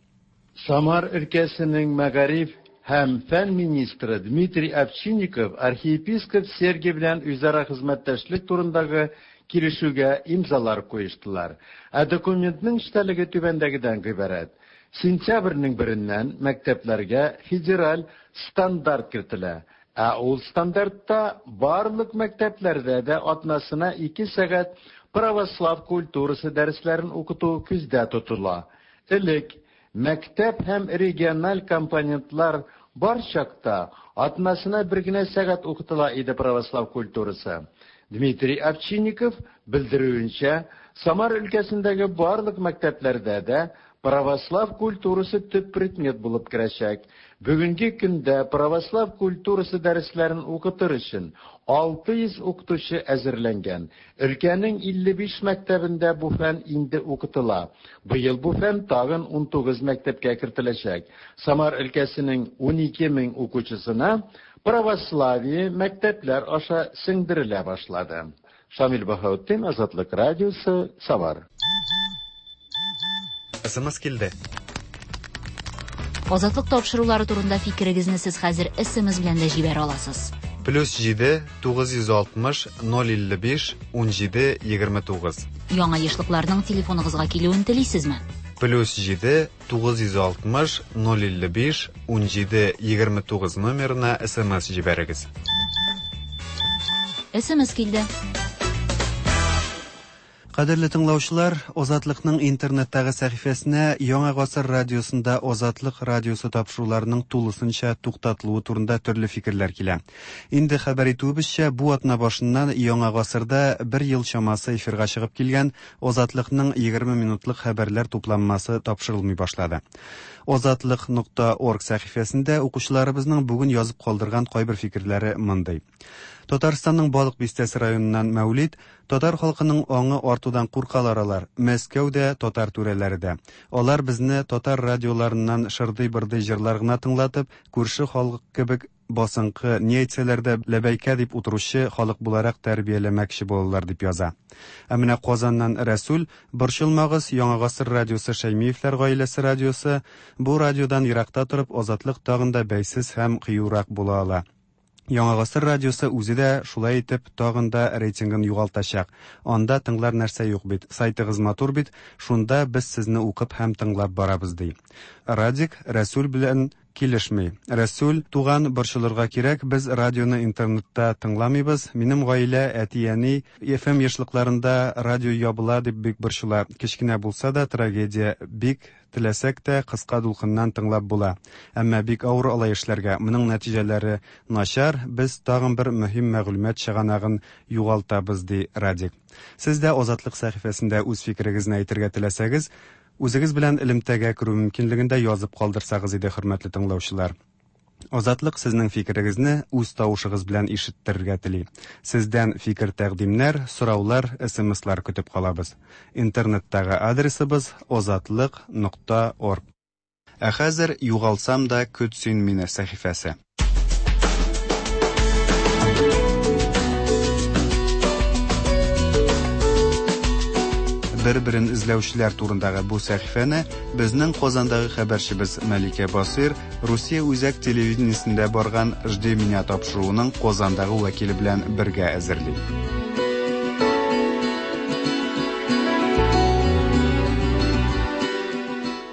Самар өлкәсенең Мәгариф һәм фән министры Дмитрий Овчинников архиепископ Сергий белән үзара хезмәттәшлек турындагы килешүгә имзалар куештылар. Ә документның эчтәлеге түбәндәгедән гыйбарәт. Сентябрьнең береннән мәктәпләргә федераль стандарт кертелә. Ә ул стандартта барлык мәктәпләрдә дә атнасына ике сәгать православ культурасы дәресләрен укыту күздә тотыла. Элек мәктәп һәм региональ компонентлар бар чакта атнасына бер генә сәгать укытыла иде православ культурасы. Дмитрий Овчинников белдерүенчә, Самар өлкәсендәге барлык мәктәпләрдә дә православ культурасы төп предмет булып керәчәк. Бүгенге көндә православ культурасы дәресләрен укытыр өчен алты йөз укытучы әзерләнгән. Өлкәнең илле биш мәктәбендә бу фән инде укытыла. Быел бу фән тагын унтугыз мәктәпкә кертеләчәк. Самар өлкәсенең унике мең укучысына православие мәктәпләр аша сеңдерелә башлады. Шамил Баһаутдин, Азатлык радиосы, Самар. СМС килде. Азатлык тапшырулары турында фикерегезне сез хәзер С М С белән дә җибәрә аласыз. Плюс җиде тугыз йөз алтмыш ноль илле биш унҗиде егерме тугыз. Яңа ешлыкларның телефоныгызга килүен телисезме? Плюс җиде тугыз йөз алтмыш ноль илле биш унҗиде егерме тугыз номерына С М С җибәрегез. С М С килде. Кадерле тыңлаучылар, Азатлыкның интернеттагы сәхифәсенә Яңа Гасыр радиосында Азатлык радиосы тапшыруларының тулысынча туктатылуы турында төрле фикерләр килә. Инде хәбәр итүебезчә, бу атна башыннан Яңа Гасырда бер ел чамасы эфирга чыгып килгән Азатлыкның егерме минутлык хәбәрләр тупланмасы тапшырылмый башлады. Азатлык нокта орг сәхифәсендә укучыларыбызның бүген язып калдырган кайбер фикерләре мондый. Татарстанның Балык Бистәсе районыннан Мәүлид: "Татар халкының аңы артудан куркалар алар. Мәскәү дә, татар түрәләре дә. Алар безне татар радиоларыннан шырдый-бырдый җырлар гына тыңлатып, күрше халык кебек басынкы, ни әйтсәләр дә ләбәйкә дип утыручы халык буларак тәрбияләмәкче булалар", дип яза. Ә менә Казаннан Рәсүл: "Борчылмагыз, Яңа Гасыр радиосы Шәймиевләр гаиләсе радиосы. Бу радиодан еракта торып, Азатлык тагын да бәйсез һәм кыюрак була ала. Яңа Гасыр радиосы үзе дә шулай итеп тагын да рейтингын югалтачак. Анда тыңлар нәрсә юк бит. Сайтыгыз матур бит, шунда без сезне укып һәм тыңлап барабыз", ди. Радик Рәсүл белән килешми. Рәсүл туган, борчылырга кирәк, без радионы интернетта тыңламыйбыз. Минем гаилә, әти-әни F M ешлыкларында радио ябыла дип бик борчыла. Кечкенә булса да трагедия, бик теләсәк тә кыска дулкыннан тыңлап була. Әмма бик авыр алай эшләргә. Моның нәтиҗәләре начар, без тагын бер мөһим мәгълүмат чыганагын югалтабыз", ди Радик. Сез дә Азатлык сәхифәсендә үз фикерегезне әйтергә теләсәгез, үзегез белән элемтәгә керү мөмкинлеген дә язып калдырсагыз иде, хөрмәтле тыңлаучылар. Азатлык сезнең фикерегезне үз тавышыгыз белән ишеттерергә тели. Сездән фикер-тәкъдимнәр, сораулар, С М Слар көтеп калабыз. Интернеттагы адресыбыз азатлык нокта орг. Ә хәзер "Югалсам да көт син мине" сәхифәсе. Бер-берен эзләүчеләр турындагы бу сәхифәне безнең Казандагы хәбәрчебез Мәликә Басыйр Русия үзәк телевидениесендә барган "Жди меня" тапшыруының Казандагы вәкиле белән бергә әзерли.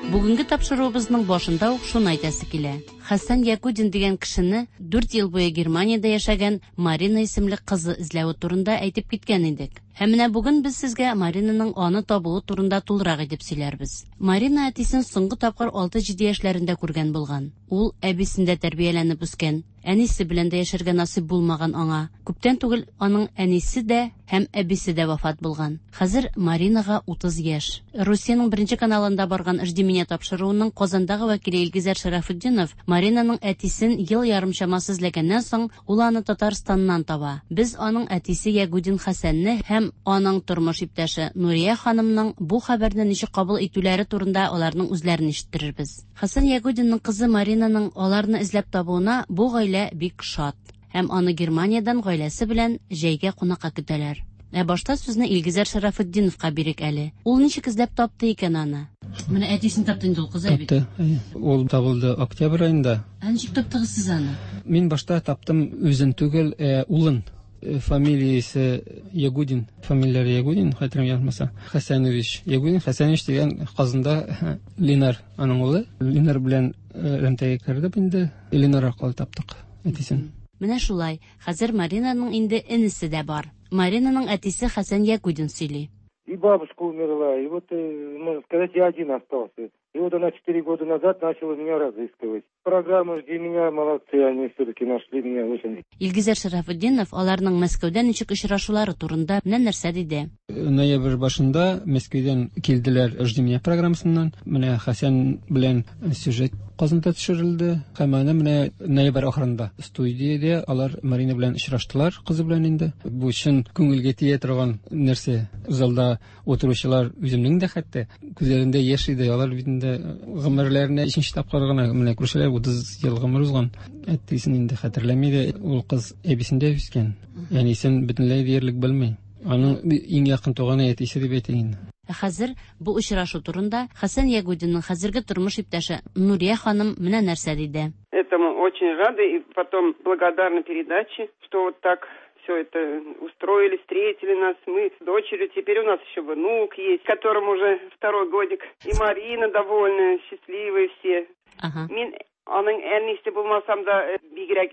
Бүгенге тапшыруыбызның башында ук шуны әйтәсе килә. Хәсән Якудин дигән кешене дүрт ел буе Германиядә яшәгән Марина исемле кызы эзләве турында әйтеп киткән идек. Һәм менә бүген без сезгә Маринаның аны табуы турында тулырак итеп сөйләрбез. Марина әтисен соңгы тапкыр алты-җиде яшьләрендә күргән булган. Ул әбисендә тәрбияләнеп үскән. Әнисе белән дә яшәргә насыйп булмаган аңа. Күптән түгел аның әнисе дә һәм әбисе дә вафат булган. Хәзер Маринага утыз яшь. Русиянең беренче каналында барган "Жди меня" тапшыруының Казандагы вәкиле Илгизәр Шарафутдинов Маринаның әтисен ел ярым чамасы эзләгәннән соң, ул аны Татарстаннан таба. Без аның әтисе Ягудин Хәсәнне һәм аның тормыш иптәше Нурия ханымның бу хәбәрне ничек кабул итүләре турында аларның үзләрен ишеттерербез. Хәсән Ягудинның кызы Маринаның аларны эзләп табуына бу гаилә бик шат. Һәм аны Германиядән гаиләсе белән җәйгә кунакка көтәләр. Ә башта сүзне Илгизәр Шарафутдиновка бирик әле. Ул ничек эзләп тапты икән аны? Менә әтисен тапты инде ул кыз бит. Тапты. Әйе. Ул табылды октябрь аенда. Ә ничек таптыгыз сез аны? Мин башта таптым үзен түгел, ә улын. Э, Фамилиясе Ягудин, фамилияләре Ягудин, хәтерем ялгышмаса. Хәсәнович. Ягудин Хәсәнович дигән Казанда Ленар аның улы. Ленар белән э, элемтәгә кердек инде. Ленар аркылы таптык әтисен. Менә шулай, хәзер Маринаның инде энесе дә бар. Маринаның әтисе Хәсән Ягудин сөйли. И бабушка умерла, и вот, э, можно сказать, я один остался. И вот она четыре года назад начала меня разыскивать. Программа "Жди меня", молодцы, они все-таки нашли меня очень. Илгизәр Шарафутдинов аларның Мәскәүдә ничек очрашулары турында менә нәрсә диде. Ноябрь башында Мәскәүдән килделәр "Жди меня" программасыннан. Менә Хәсән белән сюжет Казанда төшерелде. Һәм аны менә ноябрь ахырында студиядә алар Марина белән очраштылар, кызы белән инде. Бу чын күңелгә тия торган нәрсә. Залда утыручылар, үземнең дә хәтта күзләрендә яшь иде. Алар бит инде гомерләренә өченче тапкыр гына менә күршеләр, утыз ел гомер узган. Әтисен инде хәтерләми дә, ул кыз әбисендә үскән. Әнисен бөтенләй диярлек белми. Аның иң якын туганы әтисе дип әйтәйин инде. Ә хәзер бу очрашу турында Хәсән Ягудинның хәзерге тормыш иптәше Нурия ханым менә нәрсә диде. Этому очень рады и потом благодарны передаче, что вот так все это устроили, встретили нас. Мы с дочерью, теперь у нас еще внук есть, которому уже второй годик. И Марина довольная, счастливые все. Ага. Мин аның әнисе булмасам да, бигрәк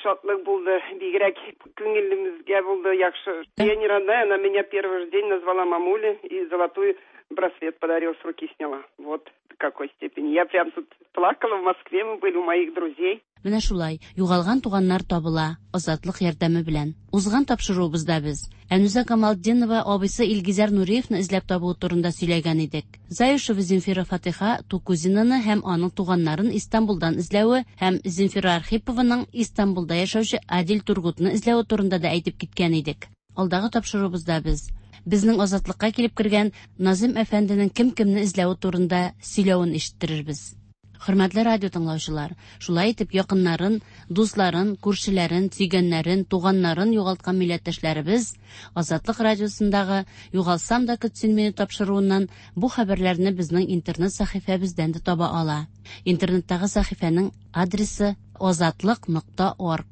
шатлык булды, бигрәк күңелебезгә булды яхшы. Я не родная, она меня первый же день назвала мамуля и золотой браслет подарила, с руки сняла. Вот до какой степени. Я прям тут плакала, в Москве мы были у моих друзей. Менә шулай, югалган туганнар табыла, Азатлык ярдәме белән. Узган тапшыруыбызда без Әнүзә Камалтдинова абыйсы Илгизәр Нуриевны эзләп табуы турында сөйләгән идек. Заюшева Земфира Фатиха Тукузинаны һәм аның туганнарын Истанбулдан эзләве һәм Земфира Архипованың Истанбулда яшәүче Адил Тургутны эзләве турында да әйтеп киткән идек. Алдагы тапшыруыбызда без безнең Азатлыкка килеп кергән Назым әфәнденең кем-кемне эзләве турында сөйләвен ишеттерербез. Хөрмәтле радио тыңлаучылар, шулай итеп якыннарын, дусларын, күршеләрен, сөйгәннәрен, туганнарын югалткан милләттәшләребез Азатлык радиосындагы Югалсам да көтсен мине тапшыруыннан бу хәбәрләрне безнең интернет сәхифәбездән дә таба ала. Интернеттагы сәхифәнең адресы азатлык нокта орг.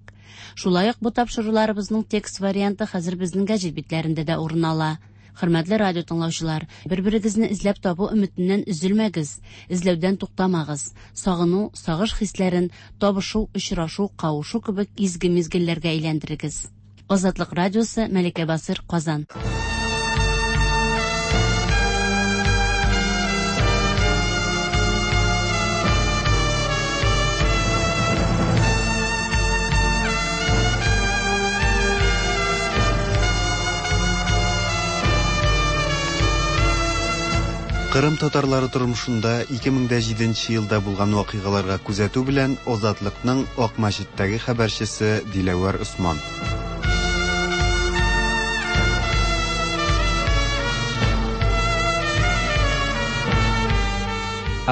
Шулай ук бу тапшыруларыбызның текст варианты хәзер безнең гәҗит битләрендә дә урын ала. Хөрмәтле радио тыңлаучылар, бер-берегезне эзләп табу өметеннән өзелмәгез, эзләүдән туктамагыз. Сагыну, сагыш хисләрен табышу, очрашу, кавышу кебек изге мизгелләргә әйләндерегез. Азатлык радиосы, Мәликә Басыр, Казан. Кырым татарлары тормышында ике мең дә җиденче елда булган вакыйгаларга күзәтү белән Азатлыкның Акмәчеттәге хәбәрчесе Диләвәр Усман.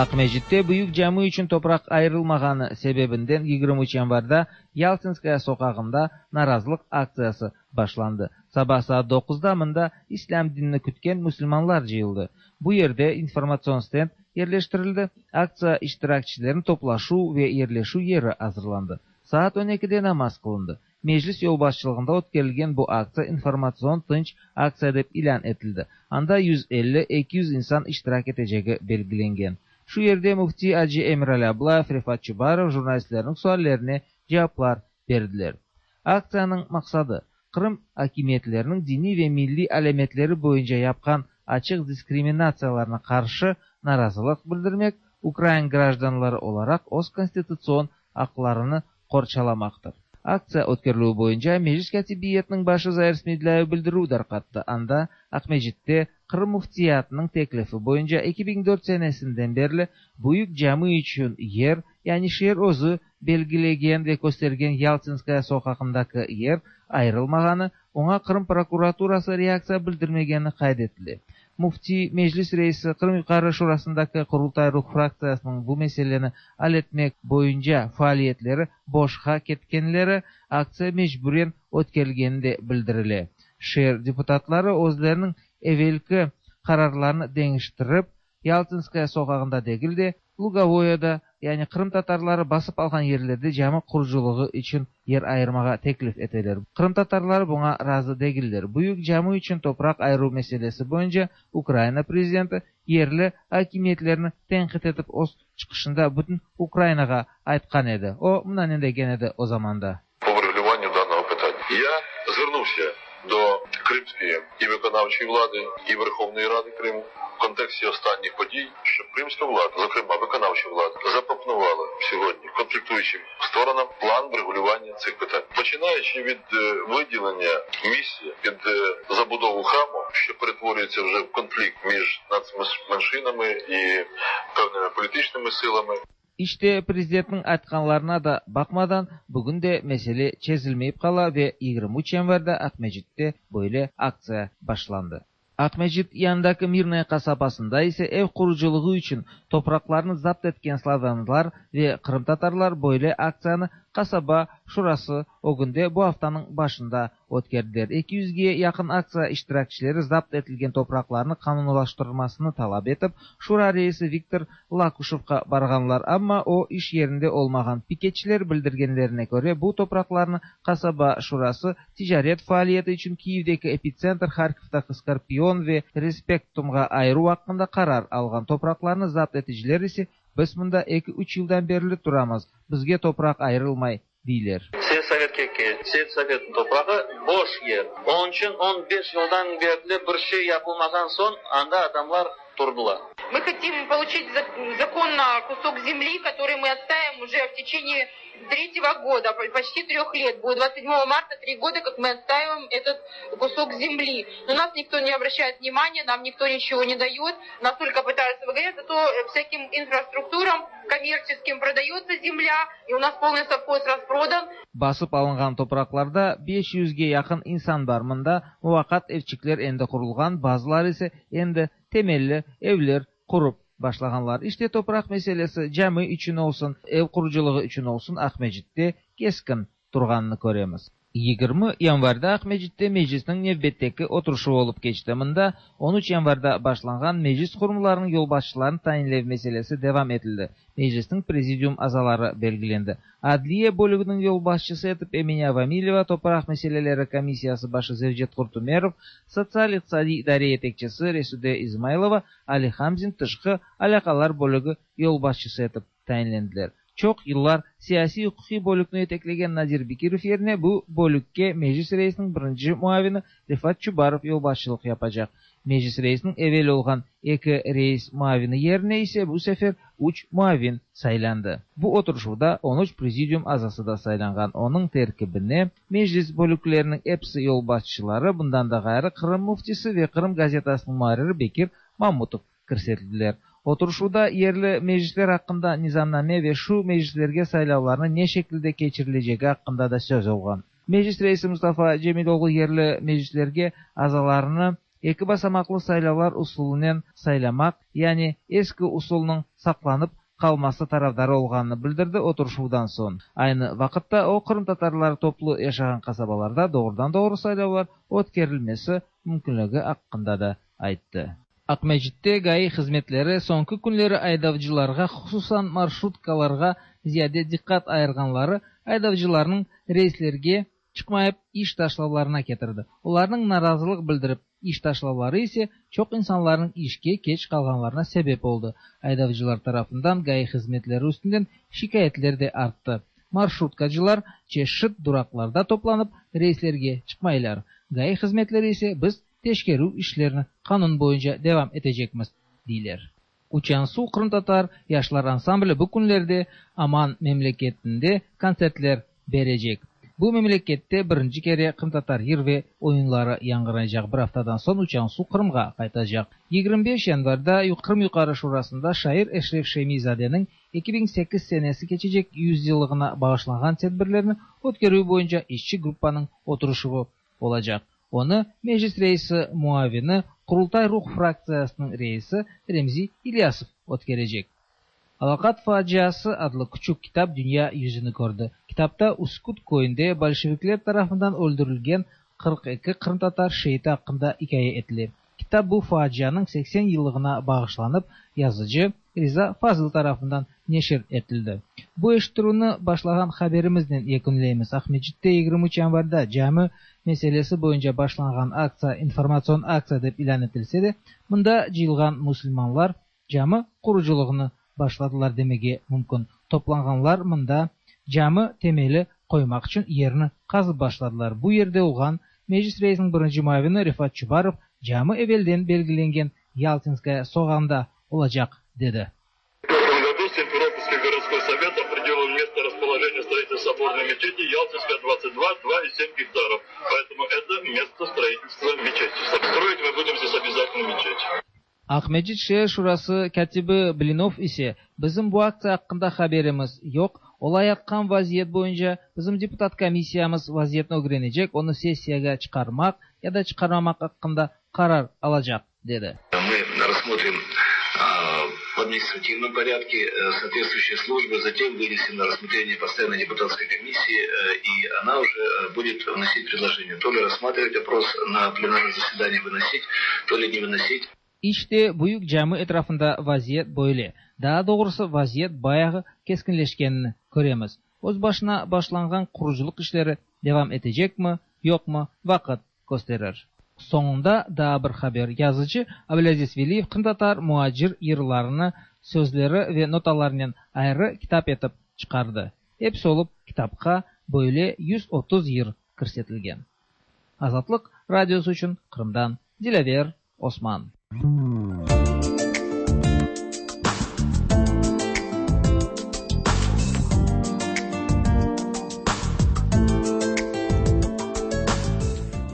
Акмәчеттә büyük cami üçün toprak ayrılmağanı sebebinden yigirmi üç yanvarda Yaltinskaya sokağında narazılık aktsiyası başlandı. Sabah saat dokuzda mında İslam dinini kütken Müslümanlar cıyıldı. Bu yerde informasyon stend yerleştirildi. Aktsiya iştirakçilerin toplaşu ve yerleşu yeri hazırlandı. Saat on ikide namaz kılındı. Meclis yolbaşçılığında ötkerilgen bu aktsiya informasyon tınç aktsiya dep ilan etildi. Anda yüz elli iki yüz insan iştirak eteceği belgilengen. Şu yerde Müfti Hacı Emirali Ablayev, Refat Çubarov jurnalistlerin suallerine cevaplar verdiler. Aktsiyanın maksadı Kırım hakimiyetlerinin dini ve milli alametleri boyunca yapkan açık diskriminatsiyalarına karşı narazılık bildirmek, Ukrayna grajdanları olarak öz konstitusiyon haklarını qorçalamaktır. Aktsiya ötkeriliği boyunca Meclis Katibiyetinin başı Zair Smedlâyev bildirüv darqattı. Anda Akmecit'te Kırım Müftiyatının teklifi boyunca iki bin dört senesinden beri büyük cami için yer, yani şehir özü belgilegen ve göstergen Yaltinskaya sokağındaki yer ayrılmağanı, ona Kırım prokuraturası reaksiya bildirmegeni kaydetili. Müfti Meclis Reisi Kırım Yukarı Şurasındaki Kurultay Ruh fraktsiyasının bu meseleni al etmek boyunca faaliyetleri boşqa ketkenleri aktsiya mecburen ötkerilgeni de bildirile. Şehir deputatları özlerinin evvelki kararlarını değiştirip Yaltinskaya sokağında değil de Lugovoya'da, yani Kırım Tatarları basıp algan yerlerde cami kuruculuğu için yer ayırmağa teklif eteler. Kırım Tatarları buna razı değiller. Büyük cami için toprak ayırу meselesi boyunca Ukrayna prezidenti yerli hakimiyetlerini tenkit etip öz çıkışında bütün Ukraynağa aytkan edi. O mına degen edi o zamanda. По врегулюванню даного питання. Я звернувся до Кримської і виконавчої влади, і Верховної Ради Криму в контексті останніх подій, щоб кримська влада, зокрема виконавча влада, запропонувала сьогодні конфліктуючим сторонам план врегулювання цих питань. Починаючи від виділення місця під забудову храму, що перетворюється вже в конфлікт між нацменшинами і певними політичними силами. İşte prezidentin aytkanlarına da bakmadan bugün de mesele çözülmeyip kala ve yigirmi üç yanvarda Akmecit'te böyle aktsiya başlandı. Akmecit yanındaki Mirnaya kasabasında ise ev kuruculuğu için topraklarını zapt etken Slavyanlar ve Kırım Tatarlar böyle aktsiyanı qasaba şurası ögünde bu aftanıñ başında ötkerdiler. Eki yüzge yaqın aktsiya iştirakçileri zapt etilgen topraqlarnı qanunlaştırmasını talap etip, şura reisi Viktor Lakuşevqa barğanlar, amma o iş yerinde olmağan. Piketçiler bildirgenlerine köre, bu topraqlarnı qasaba şurası ticaret faaliyeti içün Kiyevdeki Epitsentr, Harkovdaki Skorpion ve Respektumğa ayıruv aqqında qarar alğan. Topraqlarnı zapt eticiler ise, biz mında eki-üç yıldan berli turamız, bizge topraq ayırılmay, deyler. Selsovetke kel, selsovetniñ toprağı boş yer. Onıñ içün on beş yıldan berli bir şey yapılmağan soñ anda adamlar turdılar. Мы хотим получить законно кусок земли, который мы отстаиваем уже в течение третьего года, почти трех лет. Будет двадцать седьмого марта три года, как мы отстаиваем этот кусок земли. Но нас никто не обращает внимания, нам никто ничего не дает, нас только пытаются выгонять, зато всяким инфраструктурам коммерческим продается земля, и у нас полный совхоз распродан. Basıp alınğan topraqlarda beş yüzge yaqın insan bar. Mında muvaqqat evçikler endi qurulğan, bazıları ise endi temelli evler qurup başlağanlar. İşte topraq meselesi cami içün olsun, ev qurucılığı içün olsun Aqmescitte keskin turğanını köremiz. Yigirmi yanvarda Aqmescitte meclisniñ nevbetteki oturışuvı olıp keçti. Mında on üç yanvarda başlanğan meclis qurumlarınıñ yolbaşçılarını tayinlev meselesi devam etildi. Meclisniñ prezidium azaları belgilendi. Adliye bölüginiñ yolbaşçısı etip Emine Avamileva, topraq meseleleri komissiyası başı Zevcet Qurtumerov, sotsial-iqtisadiy idare yetekçisi Resude İzmaylova, Ali Hamzin tışqı alâqalar bölügi yolbaşçısı etip tayinlendiler. Çoq yıllar siyasiy-uquqiy bölükni yeteklegen Nadir Bekirov yerine bu bölükke meclis reisiniñ birinci muavini Refat Çubarov yolbaşçılıq yapacaq. Meclis reisiniñ evel olğan eki reis muavini yerine ise bu sefer üç muavin saylandı. Bu oturışuvda on üç prezidium azası da saylanğan. Onıñ terkibine meclis bölükleriniñ episi yolbaşçıları, bundan da ğayrı Qırım müftisi ve Qırım gazetasınıñ muarriri Bekir Mamutov kirsetildiler. Oturışuvda yerli meclisler aqqında nizamname ve şu meclislerge saylavlarnı ne şekilde keçirilecegi aqqında da söz olğan. Meclis reisi Mustafa Cemiloğlu yerli meclislerge azalarını eki basamaqlı saylavlar usulınen saylamaq, yani eski usulnıñ saqlanıp qalması tarafdarı olğanını bildirdi oturışuvdan soñ. Aynı vaqıtta o, qırımtatarlar toplu yaşağan qasabalarda doğrudan-doğru saylavlar ötkerilmesi mümkünligi aqqında da ayttı. Aqmescitte GAİ hızmetleri soñki künleri aydavcılarğa, hususan marşrutkalarğa ziyade diqqat ayırğanları aydavcılarnıñ reyslerge çıqmayıp iş taşlavlarına ketirdi. Olarnıñ narazılıq bildirip iş taşlavları ise çoq insanlarnıñ işke keç qalğanlarına sebep oldı. Aydavcılar tarafından GAİ hızmetleri üstünden şikâyetler de arttı. Marşrutkacılar çeşit duraqlarda toplanıp reyslerge çıqmaylar. GAİ hızmetleri ise biz teşkerüv işlerini qanun boyunca devam etecekmiz, deyler. Uçan Suv qırımtatar yaşlar ansambli bu künlerde Aman memleketinde kontsertler berecek. Bu memlekette birinci kere qırımtatar yır ve oyunları yañğıraycaq. Bir aftadan soñ Uçan Suv Qırımğa qaytacaq. Yigirmi beş yanvarda Qırım Yuqarı Şurasında şair Eşref Şemizadeniñ eki biñ sekiz senesi keçecek yüz yıllığına bağışlanğan tedbirlerni ötkerüv boyunca işçi gruppanıñ oturışuvı olacaq. Onı Meclis reisi muavini, Qurultay Ruh fraktsiyasınıñ reisi Remzi İlyasov ötkerecek. Alaqat faciası adlı küçük kitap dünya yüzüni kördi. Kitapta Üsküt köyünde bolşevikler tarafından öldürilgen qırq eki qırımtatar şeiti aqqında ikâye etile. Kitap bu facianıñ seksen yıllığına bağışlanıp, yazıcı Riza Fazıl tarafından neşir etildi. Bu eşittirüvni başlağan haberimiznen yekünleymiz. Aqmescitte yigirmi üç yanvarda cami meselesi boyunca başlanğan aktsiya informatsion aktsiya dep ilân etilse de, mında cıyılğan musulmanlar cami qurucılığını başladılar demege mümkün. Toplanğanlar mında cami temeli qoymaq içün yerni qazıp başladılar. Bu yerde olğan Meclis reisiniñ birinci muavini Refat Çubarov cami evelden belgilengen Yaltinskaya soqağında olacaq, dedi. В этом году Симферопольский городской совет определил место расположения строительства соборной мечети Ялтинская, двадцать два, два и семь гектаров. Поэтому это место строительства мечети. Строить мы будем здесь обязательно мечеть. Aqmescit şeer şurası kâtibi Blinov ise bizim bu aktsiya aqqında haberimiz yoq, olayatqan vaziyet boyunca bizim deputat komissiyamız vaziyetni ögrenecek, onı sessiyağa çıqarmaq ya da çıqarmamaq aqqında qarar alacaq, dedi. Мы рассмотрим в административном порядке соответствующие службы, затем вынесем на рассмотрение постоянной депутатской комиссии, и она уже будет вносить предложение. То ли рассматривать вопрос на пленарном заседании, выносить, то ли не выносить. İşte Büyük Cami etrafında vaziyet böyle. Daha doğrusu vaziyet bayağı keskinleşkenini köremiz. Öz başına başlanğan quruculuq işleri devam etecek mi, yoq mı vaqıt kösterir. Soñunda daa bir haber. Yazıcı Abdülaziz Veliyev qırımtatar muacir yırlarını sözleri ve notalarınen ayrı kitap etip çıqardı. Episi olıp kitapqa böyle yüz otuz yır kirsetilgen. Azatlıq radiosı içün Qırımdan Dilâver Osman.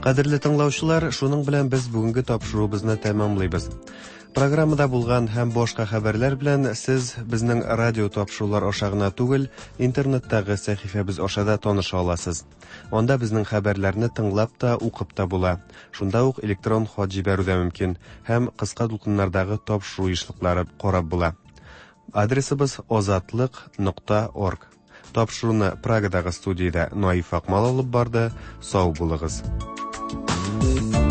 Кадерле тыңлаучылар, шуның белән без бүгенге тапшыруыбызны тәмамлыйбыз. Программада булган һәм башка хәбәрләр белән сез безнең радио тапшырулар аша гына түгел, интернеттагы сәхифәбез аша да таныша аласыз. Анда безнең хәбәрләрне тыңлап та, укып та була. Шунда ук электрон хат җибәрү дә мөмкин һәм кыска дулкыннардагы тапшыру ешлыклары карап була. Адресыбыз озатлык нокта орг. Тапшыруны Прагадагы студиядә Наиф Акмал алып барды. Сау булыгыз. Thank you.